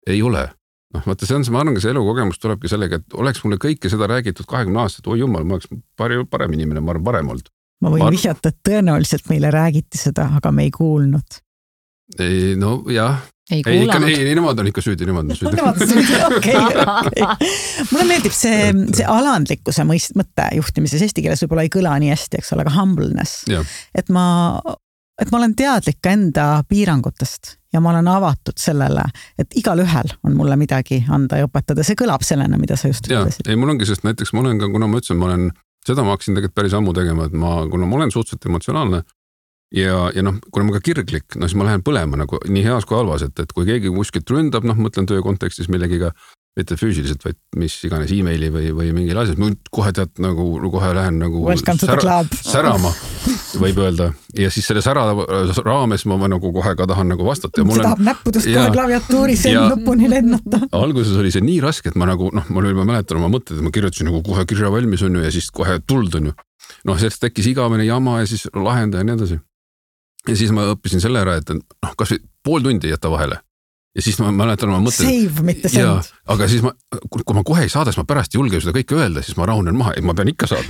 Ei ole. Vaata, ma arvan, see elukogemus tulebki sellega, et oleks mulle kõike seda räägitud 20 aastat, oi jumal, ma oleks parem inimene, ma arvan parem olnud. Ma võin vihjata, et tõenäoliselt meile räägiti seda, aga me ei kuulnud. Ei, no jah. Ei, nemad on ikka süüdi, Okay. Mulle meeldib see alandlikkuse mõtte juhtimises, eesti keeles võib-olla ei kõla nii hästi, eks ole, aga humbleness. Et ma olen teadlik enda piirangutest ja ma olen avatud sellele, et igal ühel on mulle midagi anda ja õpetada. See kõlab sellena, mida sa just ütlesid. Ei, mul ongi, sest näiteks ma olen ka, kuna ma ütlesin, seda ma hakkasin tegelikult päris ammu tegema, et kuna ma olen suhteliselt emotsionaalne, ja kuna ma ka kirglik, siis ma lähen põlema nagu nii heas kui halvas, et kui keegi kuskilt ründab, mõtlen töö kontekstis millegiga, mitte füüsiliselt, vaid mis iganes e-maili või mingil asjad, ma kohe kohe lähen särama, võib öelda. Ja siis selle sära raames ma kohe ka tahan vastata. See tahab näppudest kohe klaviatuuris lõpuni lennata. Alguses oli see nii raske, et ma mäletan oma mõtted, et ma kirjutasin kohe kirja valmis on ju ja siis kohe tuld on ju. Sellest tekkis igavene jama ja siis lahenda ja nii edasi. Ja siis ma õppisin selle ära, et kas või pool tundi jätta vahele. Ja siis ma mäletan oma mõtted. Save, mitte send. Aga siis kui ma kohe ei saada, siis ma pärast julgen seda kõike öelda, siis ma rahunen maha, et ma pean ikka saada.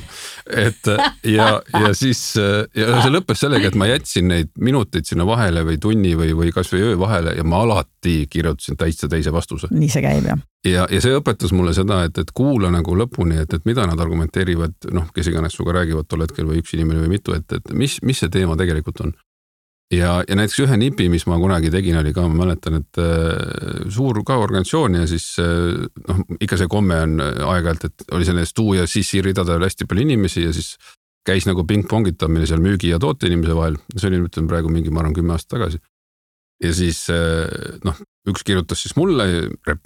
Ja siis see lõppes sellega, et ma jätsin neid minuteid sinna vahele või tunni või kas või öö vahele ja ma alati kirjutasin teise vastuse. Nii see käib, jah. Ja see õpetas mulle seda, et kuula lõpuni, et mida nad argumenteerivad, kes iganes suga räägivad tol hetkel või üks inimene või mitu, et mis see teema tegelikult on. Ja näiteks ühe nipi, mis ma kunagi tegin, oli ka, ma mäletan, et suur ka organisatsioon ja siis ikka see komme on aeg-ajalt, et oli selle stuu ja sissi ridadel hästi palju inimesi ja siis käis ping-pongitamine seal müügi ja toote inimese vahel. See oli praegu mingi, ma arvan, 10 aastat tagasi. Ja siis üks kirjutas siis mulle,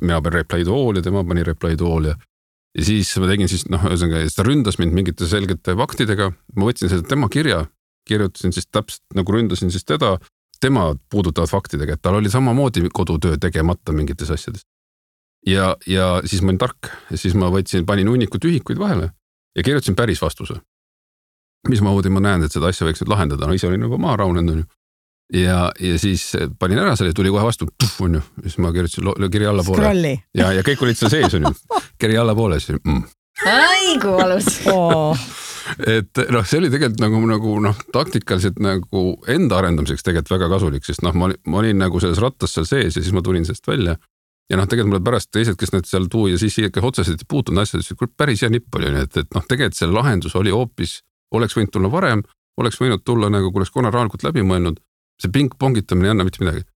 mina pean reply to all ja tema pani reply to all ja siis ma tegin siis, ta ründas mind mingite selgete faktidega, ma võtsin seda tema kirja, kirjutasin siis täpselt ründasin siis tema puudutavad faktidega, et tal oli samamoodi kodutöö tegemata mingites asjades. Ja siis ma olin tark ja siis ma panin hunnikud ühikuid vahele ja kirjutasin päris vastuse. Mis ma näen, et seda asja võiks nüüd lahendada, ise olin juba maa raunenud. Ja siis panin ära selle, tuli kohe vastu, on ju, siis ma kirjutasin kirja allapoole. Scrolli. Ja kõik olid seal sees, on ju, kirja allapoole. Ai, kui valus. Et see oli tegelikult taktikaliselt enda arendamiseks tegelikult väga kasulik, sest ma olin selles rattas seal sees ja siis ma tulin sellest välja. Ja tegelikult mulle pärast teised, kes need seal tuu ja siis otseselt puutunud asjad, päris hea nipp oli, et tegelikult selle lahendus oli hoopis, oleks võinud tulla varem, oleks võinud tulla kui oleks konaraalikult läbi mõelnud, see ping-pongitamine ei anna mitte midagi.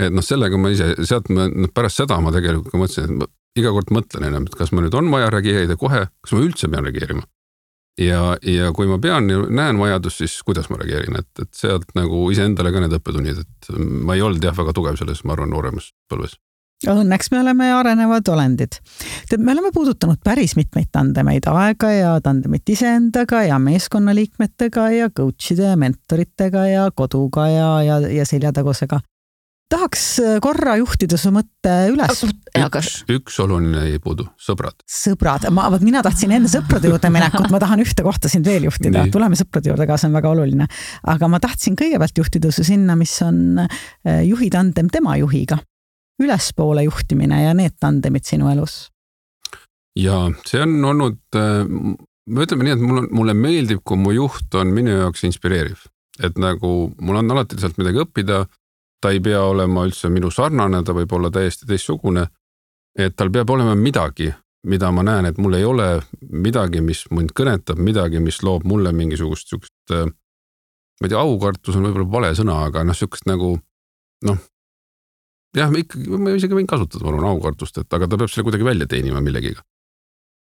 Et sellega ma ise, sealt pärast seda ma tegelikult ka mõtlesin, et iga kord mõtlen enam, et kas ma nüüd on vaja reageerida kohe, kas ma üldse pean reageerima. Ja kui ma näen vajadust, siis kuidas ma reageerin, et sealt ise endale ka need õppetunnid, et ma ei olnud väga tugev selles, ma arvan, nooremas põlves. Õnneks me oleme arenevad olendid. Me oleme puudutanud päris mitmeid tandemeid, aega ja tandemit iseendaga ja meeskonnaliikmetega ja coachide ja mentoritega ja koduga ja seljatagusega. tahaks korra juhtida su mõtte üles. Üks oluline ei puudu, sõbrad. Sõbrad, mina tahtsin enne sõprade juurde minekut, ma tahan ühte kohta sind veel juhtida, tuleme sõprade juurde ka, see on väga oluline. Aga ma tahtsin kõigepealt juhtida su sinna, mis on juhi tandem tema juhiga. Ülespoole juhtimine ja need tandemid sinu elus. Ja see on olnud, me ütleme nii, et mulle meeldib, kui mu juht on minu jaoks inspireeriv. Et nagu mul on alati sealt midagi õppida, ta ei pea olema üldse minu sarnane, ta võib olla täiesti teistsugune, et tal peab olema midagi, mida ma näen, et mul ei ole midagi, mis mind kõnetab, midagi, mis loob mulle mingisugust sükest, ma ei tea, aukartus on võib-olla vale sõna, aga sükest nagu, jah, ma isegi võin kasutada, ma arvan, aukartust, aga ta peab selle kuidagi välja teenima millegiga.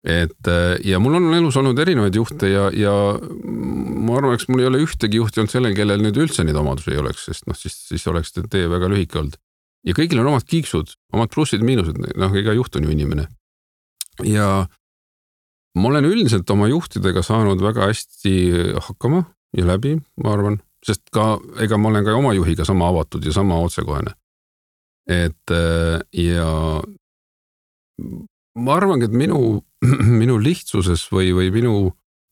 Ja mul on elus olnud erinevaid juhte ja ma arvan, eks mul ei ole ühtegi juhti olnud sellel, kellel nüüd üldse neid omadusi ei oleks, sest siis oleks tee väga lühike olnud. Ja kõigil on omad kiiksud, omad plussid, miinused, iga juht on ju inimene. Ja ma olen üldiselt oma juhtidega saanud väga hästi hakkama ja läbi, ma arvan, sest ega ma olen ka oma juhiga sama avatud ja sama otsekohene. Ja ma arvangi, et minu lihtsuses või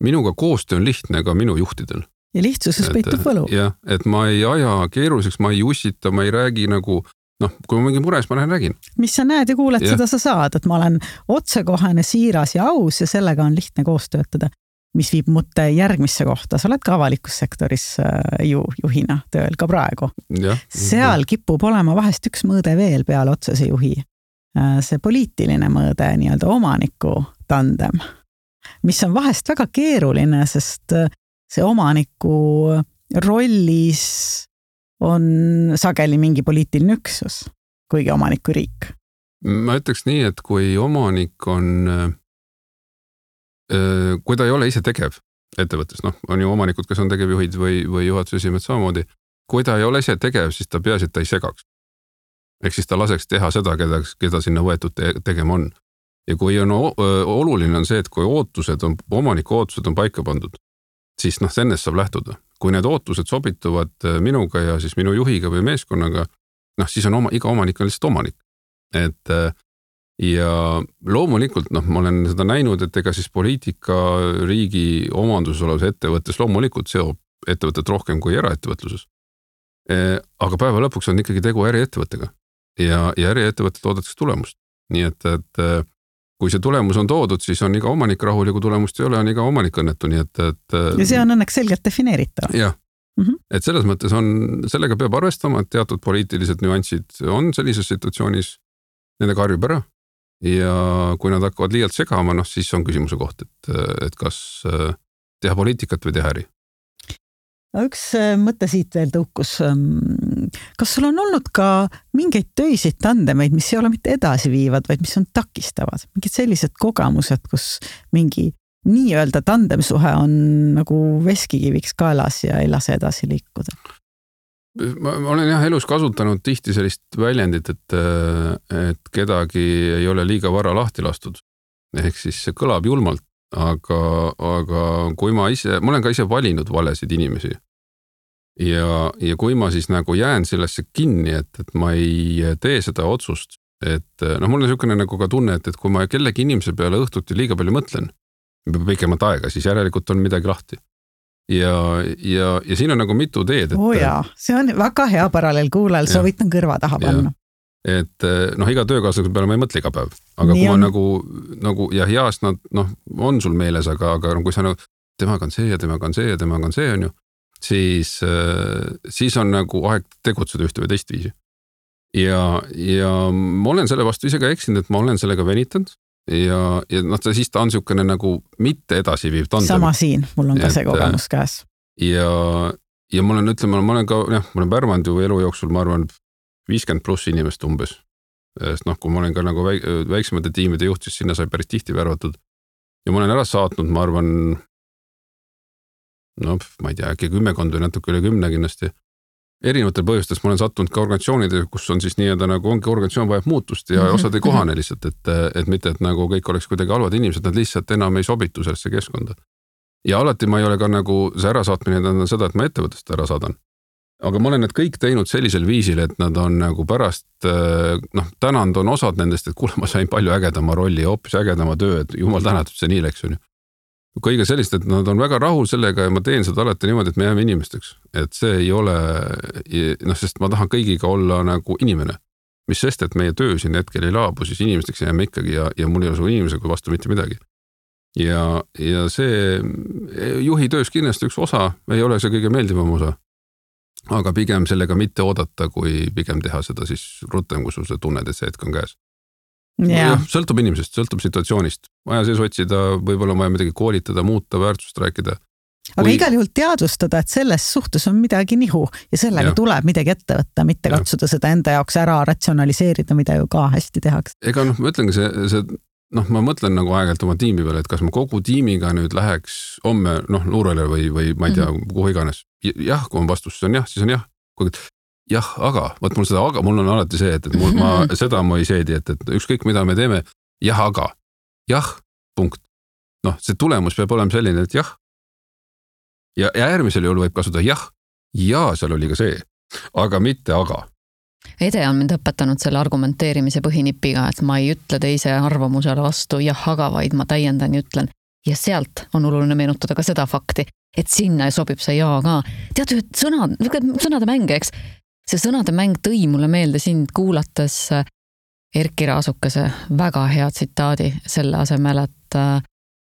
minuga koostöö on lihtne ka minu juhtidel. Ja lihtsuses peitub võlu. Jah, et ma ei aja keeruliseks, ma ei ussita, ma ei räägi nagu, kui ma mingi mures, ma lähen räägin. Mis sa näed ja kuuled, seda sa saad, et ma olen otsekohane, siiras ja aus ja sellega on lihtne koostöötada, mis viib mõtte järgmisse kohta. Sa oled ka avalikus sektoris juhina tööl ka praegu. Seal kipub olema vahest üks mõõde veel peale otsese juhi. See poliitiline mõõde, nii-öelda omaniku tandem, mis on vahest väga keeruline, sest see omaniku rollis on sageli mingi poliitiline üksus, kuigi omaniku riik. Ma ütleks nii, et kui omanik on, kui ta ei ole ise tegev ettevõttes, on ju omanikud, kes on tegevjuhid või juhatuse esimehed samamoodi, kui ta ei ole ise tegev, siis ta peaasi, et ta ei segaks. Ehk siis ta laseks teha seda, keda sinna võetud tegema on. Ja kui oluline on see, et kui omaniku ootused on paika pandud, siis ennest saab lähtuda. Kui need ootused sobituvad minuga ja siis minu juhiga või meeskonnaga, siis on iga omanik on lihtsalt omanik. Ja loomulikult, ma olen seda näinud, et ega siis poliitika riigi omanduses olevas ettevõttes loomulikult seob ettevõtet rohkem kui eraettevõtluses. Aga päeva lõpuks on ikkagi tegu äriettevõttega. Ja äriettevõtted oodatakse tulemust. Nii et kui see tulemus on toodud, siis on iga omanik rahul ja kui tulemust ei ole, on iga omanik õnnetu. Nii ja see on õnneks selgelt defineeritav. Jah, et selles mõttes sellega peab arvestama, et teatud poliitilised nüansid on sellises situatsioonis, nendega harjub ära. Ja kui nad hakkavad liialt segama, siis on küsimuse koht, et kas teha poliitikat või teha äri. Üks mõte siit veel tõukus. Kas sul on olnud ka mingeid töiseid tandemeid, mis ei ole mitte edasi viivad, vaid mis on takistavad? Mingid sellised kogemused, kus mingi nii-öelda tandemsuhe on nagu veskikiviks kaelas ja ei lase edasi liikuda? Ma olen elus kasutanud tihti sellist väljendit, et kedagi ei ole liiga vara lahti lastud. Ehk siis see kõlab julmalt. Aga kui ma olen ka ise valinud valesid inimesi ja kui ma siis nagu jään sellesse kinni, et ma ei tee seda otsust, et mul on niisugune nagu ka tunne, et kui ma kellegi inimese peale õhtuti liiga palju mõtlen, pikemat aega, siis järelikult on midagi lahti. Ja siin on nagu mitu teed. See on väga hea paralleel kuulajal, soovitan kõrva taha panna. Et iga töökaaslase peale ma ei mõtle iga päev, aga kui ma nagu ja heast nad on sul meeles, aga kui sa temaga on see ja temaga on see ja temaga on see on ju, siis on nagu aeg tegutseda ühte või teist viisi. Ja ma olen selle vastu ise ka eksinud, et ma olen sellega venitanud ja siis ta on niisugune nagu mitte edasi viiv tandem. Sama siin, mul on ka see kogemus käes. Ja ma olen pärmanud ju elu jooksul, ma arvan, 50 pluss inimest umbes. Sest kui ma olen ka nagu väiksemate tiimide juht, siis sinna sai päris tihti värvatud. Ja ma olen ära saatnud, ma arvan, ma ei tea, äkki 10 või natuke üle 10 kindlasti. Erinevatel põhjustes ma olen sattunud ka organisatsioonide, kus on siis nii-öelda nagu ongi organisatsioon vajab muutust ja osad ei kohane lihtsalt, et mitte, et nagu kõik oleks kuidagi halvad inimesed, nad lihtsalt enam ei sobitu sellesse keskkonda. Ja alati ma ei ole ka nagu see ärasaatmine tähendab seda, et ma ettevõttest ära saadan. aga ma olen need kõik teinud sellisel viisil, et nad on nagu pärast, tänand on osad nendest, et kuule, ma sain palju ägedama rolli ja hoopis ägedama töö, et jumal tänatud, see nii läks on ju. Kõige sellist, et nad on väga rahul sellega ja ma teen seda alati niimoodi, et me jääme inimesteks. Et see ei ole, sest ma tahan kõigiga olla nagu inimene. Mis sest, et meie töö siin hetkel ei laabu, siis inimesteks jääme ikkagi ja mul ei ole su inimesega vastu mitte midagi. Ja see juhi töös kindlasti üks osa, ei ole see kõige meeldivam osa, aga pigem sellega mitte oodata, kui pigem teha seda siis rutem, kui sul see tunned, et see hetk on käes. Ja, sõltub inimesest, sõltub situatsioonist. Vaja sees otsida, võib-olla vaja midagi koolitada, muuta, väärtust rääkida. Aga igal juhul teadvustada, et selles suhtes on midagi nihu ja sellega tuleb midagi ette võtta, mitte katsuda seda enda jaoks ära ratsionaliseerida, mida ju ka hästi tehakse. Ega ma ütlengi ma mõtlen nagu aeg-ajalt oma tiimi peale, et kas ma kogu tiimiga nüüd läheks homme luurele või ma ei tea, kuhu iganes. Jah, kui on vastus, siis on jah, siis on jah. Jah, aga, võt mul on alati see, et ma seda ma ei seedi, et ükskõik mida me teeme, jah, aga, jah, punkt. See tulemus peab olema selline, et jah. Ja äärmisel juhul võib kasutada jah, ja seal oli ka see, aga mitte aga. Ede on mind õpetanud selle argumenteerimise põhinipiga, et ma ei ütle teise arvamusele vastu jah, aga, vaid ma täiendan ja ütlen. Ja sealt on oluline meenutada ka seda fakti, et sinna sobib see ja ka. Tead, sõnade mäng, eks? See sõnade mäng tõi mulle meelde sind kuulates Erki Raasukese väga hea tsitaadi selle asemel, et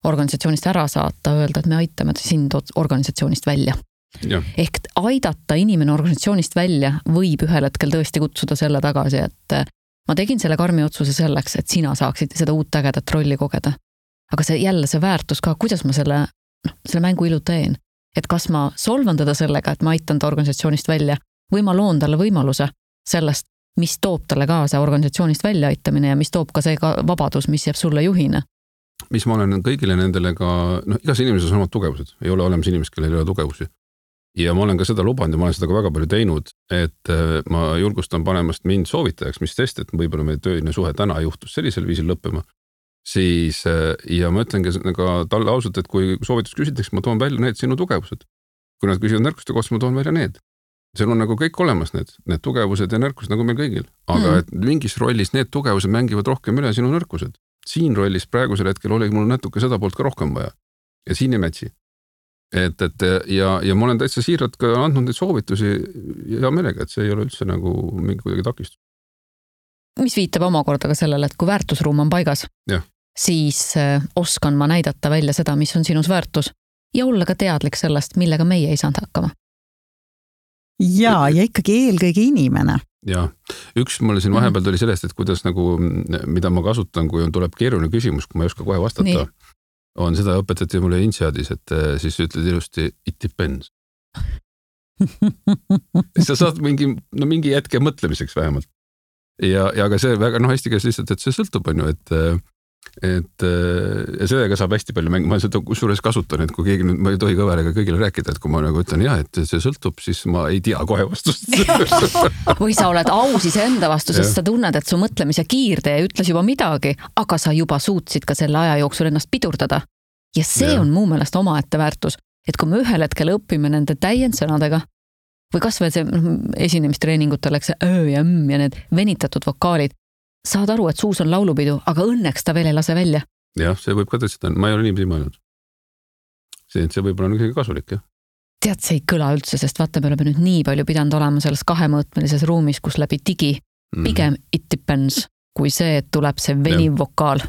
organisatsioonist ära saata, öelda, et me aitame sind organisatsioonist välja. Ja. Ehk aidata inimene organisatsioonist välja võib ühel hetkel tõesti kutsuda selle tagasi, et ma tegin selle karmi otsuse selleks, et sina saaksid seda uut ägedat rolli kogeda. Aga see jälle see väärtus ka, kuidas ma selle mängu ilu teen. Et kas ma solvan teda sellega, et ma aitan ta organisatsioonist välja või ma loon talle võimaluse sellest, mis toob talle kaasa organisatsioonist välja aitamine ja mis toob ka see vabadus, mis jääb sulle juhina. Mis ma olen kõigile nendele ka, igas inimeses on omad tugevused, ei ole olemas inimest, kellel ei ole tugevusi. Ja ma olen ka seda lubanud ja ma olen seda ka väga palju teinud, et ma julgustan panemast mind soovitajaks, mis test, et võib-olla meie tööine suhe täna juhtus sellisel viisil lõppema. Siis, ja ma ütlen ka talle ausalt, et kui soovitus küsitakse, ma toon välja need sinu tugevused. Kui nad küsivad nõrkuste kohta, ma toon välja need. Seal on nagu kõik olemas need tugevused ja nõrkused nagu meil kõigil. Aga et mingis rollis need tugevused mängivad rohkem üle sinu nõrkused. Siin rollis praegusel hetkel oli mul natuke seda poolt ka rohkem vaja. Ja siin ei mätsi. Ja ma olen täitsa siiralt ka andnud neid soovitusi ja meelega, et see ei ole üldse nagu mingi kuidagi takistus. Mis viitab omakorda ka sellele, et kui väärtusruum on paigas, siis oskan ma näidata välja seda, mis on sinus väärtus ja olla ka teadlik sellest, millega meie ei saanud hakkama. Ja ikkagi eelkõige inimene. Ja, üks mulle siin vahepeal tuli sellest, et kuidas nagu, mida ma kasutan, kui tuleb keeruline küsimus, kui ma ei oska kohe vastata, on seda õpetati mulle Inseadis, et siis ütled ilusti, it depends. Sa saad mingi hetke mõtlemiseks vähemalt. Ja ka see väga hästi käes lihtsalt, et see sõltub on ju, et sellega saab hästi palju mängida, ma seda kusjuures kasutan, et kui keegi nüüd, ma ei tohi kõveriga kõigile rääkida, et kui ma nagu ütlen et see sõltub, siis ma ei tea kohe vastust. Või sa oled aus enda vastu, sest sa tunned, et su mõtlemise kiirtee ütles juba midagi, aga sa juba suutsid ka selle aja jooksul ennast pidurdada. Ja see on muu meelest omaette väärtus, et kui me ühel hetkel õpime nende täiendsõnadega või kas või see esinemistreeningutel läks öö ja ja need venitatud vokaalid, saad aru, et suus on laulupidu, aga õnneks ta veel ei lase välja. Jah, see võib ka tõstada, ma ei ole niimoodi mõelnud. See võib olla kõige kasulik, jah. Tead, see ei kõla üldse, sest vaata, me oleme nüüd nii palju pidanud olema selles kahemõõtmelises ruumis, kus läbi digi pigem it depends, kui see, et tuleb see veniv vokaal.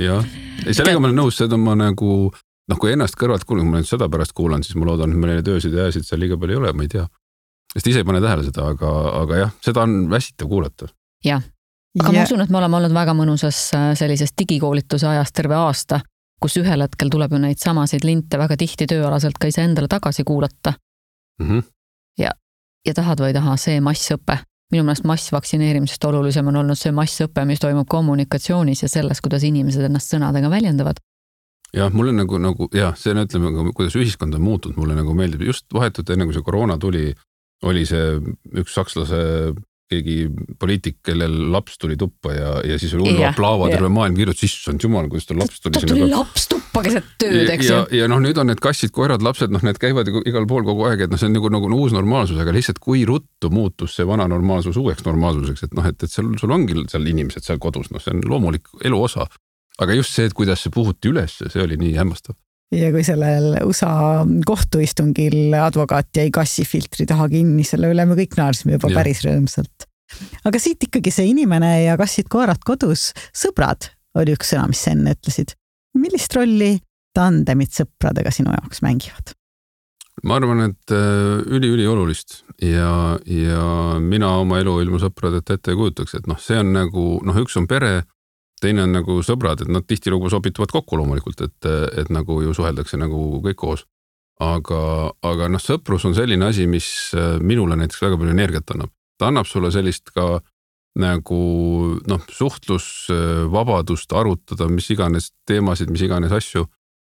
Jah, sellega ma olen nõus, seda ma nagu, kui ennast kõrvalt kuulen, kui ma nüüd seda pärast kuulan, siis ma loodan, et meil neid öösid ja ääsid seal liiga palju ei ole, ma ei tea. Sest ise ei pane tähele seda, aga jah, seda on väsitav kuulata. Jah, aga ma usun, et me oleme olnud väga mõnusas sellises digikoolituse ajast terve aasta, kus ühel hetkel tuleb ju neid samasid linte väga tihti tööalaselt ka ise endale tagasi kuulata. Ja tahad või ei taha, see massõppe. Minu meelest massvaktsineerimisest olulisem on olnud see massõppe, mis toimub kommunikatsioonis ja selles, kuidas inimesed ennast sõnadega väljendavad. Jah, mulle nagu see ütleme, kuidas ühiskond on muutunud, mulle nagu meeldib. Just vahetult enne, kui see koroona tuli, oli see üks sakslase keegi poliitik, kellel laps tuli tuppa ja siis oli hullu aplaava terve maailm kirjutas, issand jumal, kuidas ta laps tuli. Ta tuli laps tuppa keset tööd, eks ju. Ja nüüd on need kassid, koerad, lapsed, need käivad igal pool kogu aeg, et see on nagu uus normaalsus, aga lihtsalt kui ruttu muutus see vana normaalsus uueks normaalsuseks, et sul ongi seal inimesed seal kodus, see on loomulik elu osa. Aga just see, et kuidas see puhuti üles, see oli nii hämmastav. Ja kui sellel USA kohtuistungil advokaat jäi kassifiltri taha kinni, selle üle me kõik naarsime juba päris rõõmsalt. Aga siit ikkagi see inimene ja kassid koerad kodus, sõbrad oli üks sõna, mis enne ütlesid. Millist rolli tandemid sõpradega sinu jaoks mängivad? Ma arvan, et üli olulist ja mina oma elu ilma sõpradeta ette ei kujutaks, et see on nagu, üks on pere, teine on nagu sõbrad, et nad tihtilugu sobituvad kokku loomulikult, et nagu ju suheldakse nagu kõik koos. Aga sõprus on selline asi, mis minule näiteks väga palju energiat annab. Ta annab sulle sellist ka nagu suhtlusvabadust arutada, mis iganes teemasid, mis iganes asju.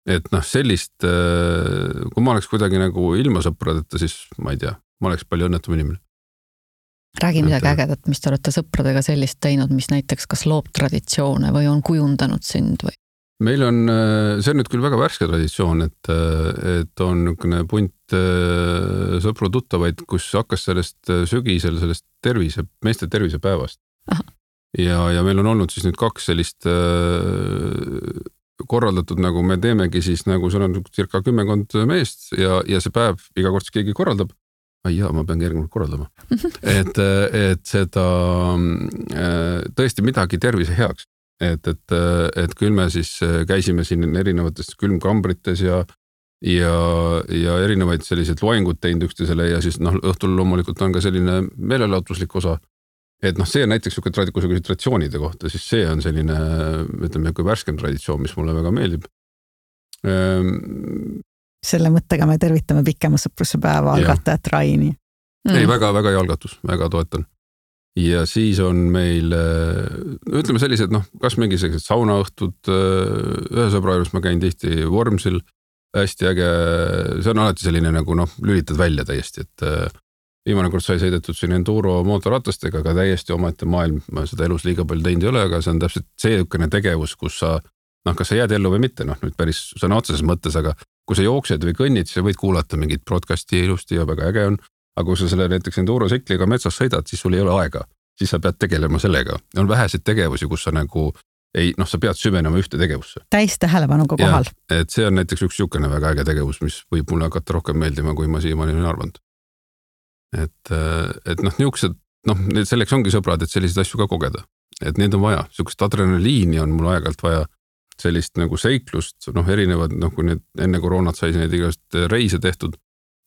Et sellist, kui ma oleks kuidagi nagu ilma sõpradeta, siis ma ei tea, ma oleks palju õnnetum inimene. Räägi midagi ägedat, mis te olete sõpradega sellist teinud, mis näiteks kas loob traditsioone või on kujundanud sind või? Meil on, see on nüüd küll väga värske traditsioon, et on niisugune punt sõpru tuttavaid, kus hakkas sellest sügisel, sellest meeste tervisepäevast. Ja meil on olnud siis nüüd 2 sellist korraldatud, nagu me teemegi siis, nagu seal on circa 10 meest ja see päev iga kord keegi korraldab. Ma pean järgmine korraldama. Et seda tõesti midagi tervise heaks. Et küll me siis käisime siin erinevates külmkambrites ja erinevaid selliseid loengut teinud üksteisele ja siis õhtul loomulikult on ka selline meelelahutuslik osa. Et see on näiteks traditsioonide kohta, siis see on selline, ütleme, kui värskem traditsioon, mis mulle väga meeldib. Selle mõttega me tervitame pikema sõpruse päeva algatajat Raini. Ei, väga hea algatus, väga toetan. Ja siis on meil, ütleme sellised, kas mingi sellised saunaõhtud, ühe sõbra juures ma käin tihti Vormsil, hästi äge, see on alati selline nagu lülitad välja täiesti, et viimane kord sai sõidetud siin enduro mootorratastega, aga täiesti omaette maailm, ma seda elus liiga palju teinud ei ole, aga see on täpselt seekene tegevus, kus sa, kas sa jääd ellu või mitte, nüüd päris sõna otseses mõttes, aga kui sa jooksed või kõnnid, siis võid kuulata mingit broadcasti ilusti ja väga äge on, aga kui sa selle näiteks enduro-sekliga metsas sõidad, siis sul ei ole aega, siis sa pead tegelema sellega. On väheseid tegevusi, kus sa nagu sa pead süvenema ühte tegevusse. Täis tähelepanuga kohal. Et see on näiteks üks niisugune väga äge tegevus, mis võib mulle hakata rohkem meeldima, kui ma siiamaani olen arvanud. Et niisugused, selleks ongi sõbrad, et selliseid asju ka kogeda. Et need on vaja, niisugust adrenaliini on mul aegalt vaja. Sellist nagu seiklust, erinevad, kui need enne koroonat sai neid igast reise tehtud,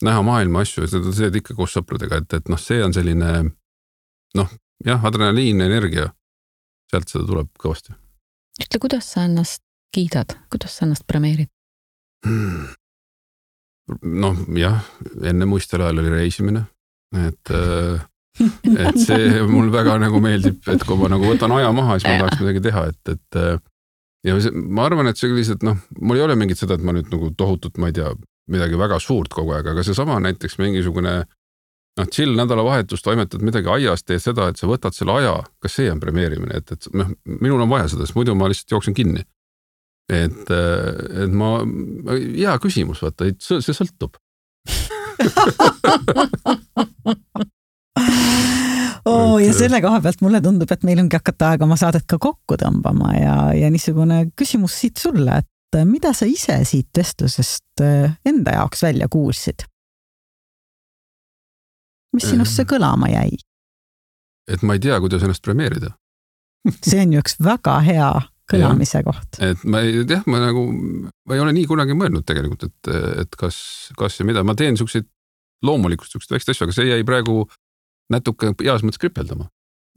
näha maailma asju, seda teed ikka koos sõpradega, et see on selline, adrenaliin, energia, sealt seda tuleb kõvasti. Ütle, kuidas sa ennast kiidad, kuidas sa ennast premeerid? Enne muistel ajal oli reisimine, et see mul väga nagu meeldib, et kui ma nagu võtan aja maha, siis ma tahaks midagi teha, et ja ma arvan, et see lihtsalt, mul ei ole mingit seda, et ma nüüd nagu tohutut, ma ei tea, midagi väga suurt kogu aeg, aga see sama näiteks mingisugune chill nädalavahetus, toimetad midagi aiast, teed seda, et sa võtad selle aja, kas see on premeerimine, et minul on vaja seda, sest muidu ma lihtsalt jooksen kinni. Et hea küsimus, vaata, see sõltub. Ja selle koha pealt mulle tundub, et meil ongi hakata aega oma saadet ka kokku tõmbama ja niisugune küsimus siit sulle, et mida sa ise siit vestlusest enda jaoks välja kuulsid? Mis sinust see kõlama jäi? Et ma ei tea, kuidas ennast premeerida. See on ju üks väga hea kõlamise koht. Et ma ei ole nii kunagi mõelnud tegelikult, et kas ja mida. Ma teen niisuguseid loomulikult niisuguseid väikseid asju, aga see jäi praegu natuke heas mõttes kripeldama,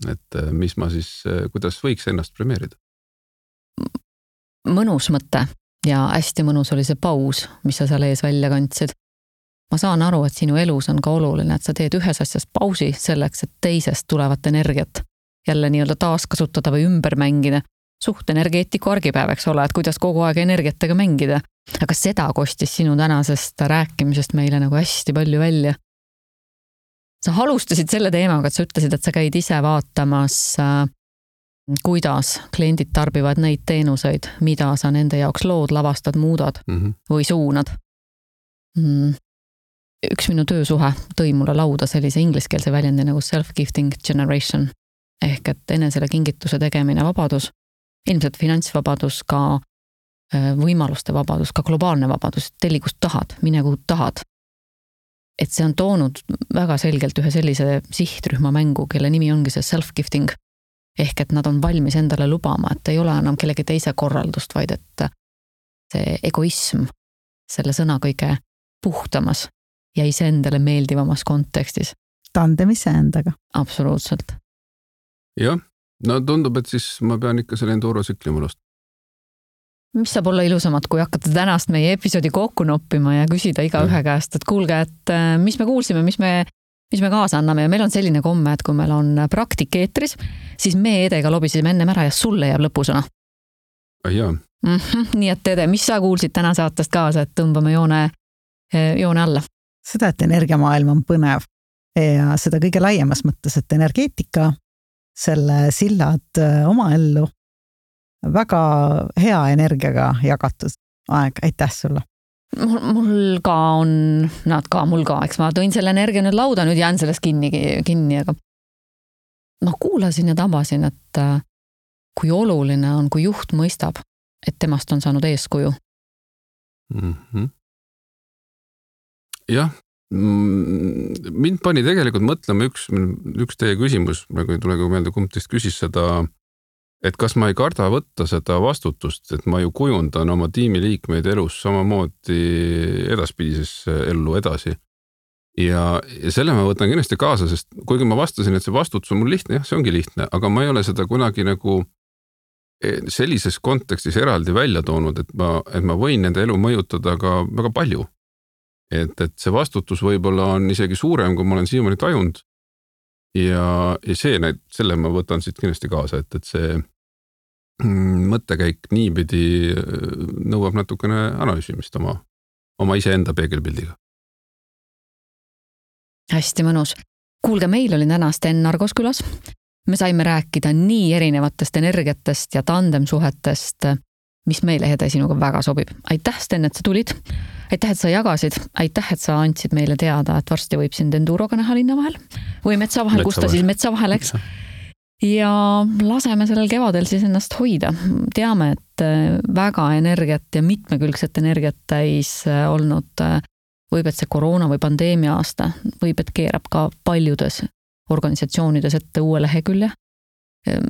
et mis ma siis, kuidas võiks ennast premeerida. Mõnus mõte ja hästi mõnus oli see paus, mis sa seal ees välja kandsid. Ma saan aru, et sinu elus on ka oluline, et sa teed ühes asjas pausi selleks, et teisest tulevat energiat jälle nii-öelda taaskasutada või ümber mängida. Suht energeetiku argipäev, eks ole, et kuidas kogu aeg energiatega mängida. Aga seda kostis sinu tänasest rääkimisest meile nagu hästi palju välja. sa alustasid selle teemaga, et sa ütlesid, et sa käid ise vaatamas, kuidas kliendid tarbivad neid teenuseid, mida sa nende jaoks lood, lavastad, muudad või suunad. Üks minu töösuhe tõi mulle lauda sellise ingliskeelse väljendi nagu self-gifting generation ehk et enesele kingituse tegemine vabadus, ilmselt finantsvabadus, ka võimaluste vabadus, ka globaalne vabadus, telli kust tahad, mine kuhu tahad. Et see on toonud väga selgelt ühe sellise sihtrühma mängu, kelle nimi ongi see self-gifting. Ehk et nad on valmis endale lubama, et ei ole enam kellegi teise korraldust, vaid et see egoism selle sõna kõige puhtamas ja iseendale meeldivamas kontekstis. Tandem iseendaga. Absoluutselt. Jah, no tundub, et siis ma pean ikka selle endurosükli mulust. Mis saab olla ilusamad, kui hakata tänast meie episoodi kokku noppima ja küsida iga ühe käest, et kuulge, et mis me kuulsime, mis me kaasa anname ja meil on selline komme, et kui meil on praktik eetris, siis me Edega lobisime ennem ära ja sulle jääb lõpusõna. Jaa. Nii et Ede, mis sa kuulsid täna saatest kaasa, et tõmbame joone alla? Seda, et energiamaailm on põnev ja seda kõige laiemas mõttes, et energeetika, selle sillad oma ellu, väga hea energiaga jagatud aeg, aitäh sulle. Mul ka on, mul ka, eks ma tõin selle energia nüüd lauda, nüüd jään sellest kinni, aga ma kuulasin ja tabasin, et kui oluline on, kui juht mõistab, et temast on saanud eeskuju. Jah, mind pani tegelikult mõtlema üks teie küsimus, nagu ei tule meelde, kumb teist küsis seda, et kas ma ei karda võtta seda vastutust, et ma ju kujundan oma tiimiliikmeid elus samamoodi edaspidises ellu edasi. Ja selle ma võtan kindlasti kaasa, sest kuigi ma vastasin, et see vastutus on mul lihtne, jah, see ongi lihtne, aga ma ei ole seda kunagi nagu sellises kontekstis eraldi välja toonud, et ma võin nende elu mõjutada ka väga palju. Et see vastutus võib-olla on isegi suurem, kui ma olen siiamaani tajunud. Ja selle ma võtan siit kindlasti kaasa, et see mõttekäik niipidi nõuab natukene analüüsimist oma iseenda peegelpildiga. Hästi mõnus. Kuulge, meil oli täna Sten Nargos külas. Me saime rääkida nii erinevatest energiatest ja tandemsuhetest, mis meile Ede sinuga väga sobib. Aitäh, Sten, et sa tulid. Aitäh, et sa jagasid. Aitäh, et sa andsid meile teada, et varsti võib sind enduroga näha linna vahel või metsa vahel, kus ta siis metsa vahel, eks. Ja laseme sellel kevadel siis ennast hoida. Teame, et väga energiat ja mitmekülgset energiat täis olnud võib, et see koroona või pandeemia aasta võib, et keerab ka paljudes organisatsioonides ette uue lehekülje.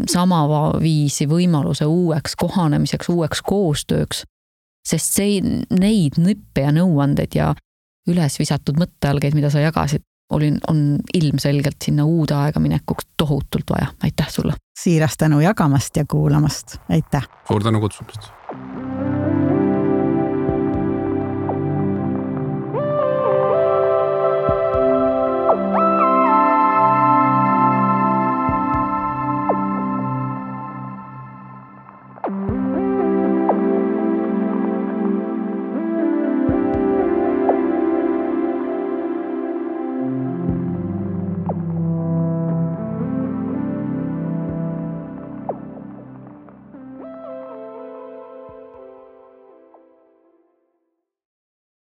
Sama viisi võimaluse uueks kohanemiseks, uueks koostööks, sest neid nippe ja nõuandeid ja üles visatud mõttealgeid, mida sa jagasid, on ilmselgelt sinna uude aega minekuks tohutult vaja. Aitäh sulle! Siiras tänu jagamast ja kuulamast. Aitäh! Suur tänu kutsumast!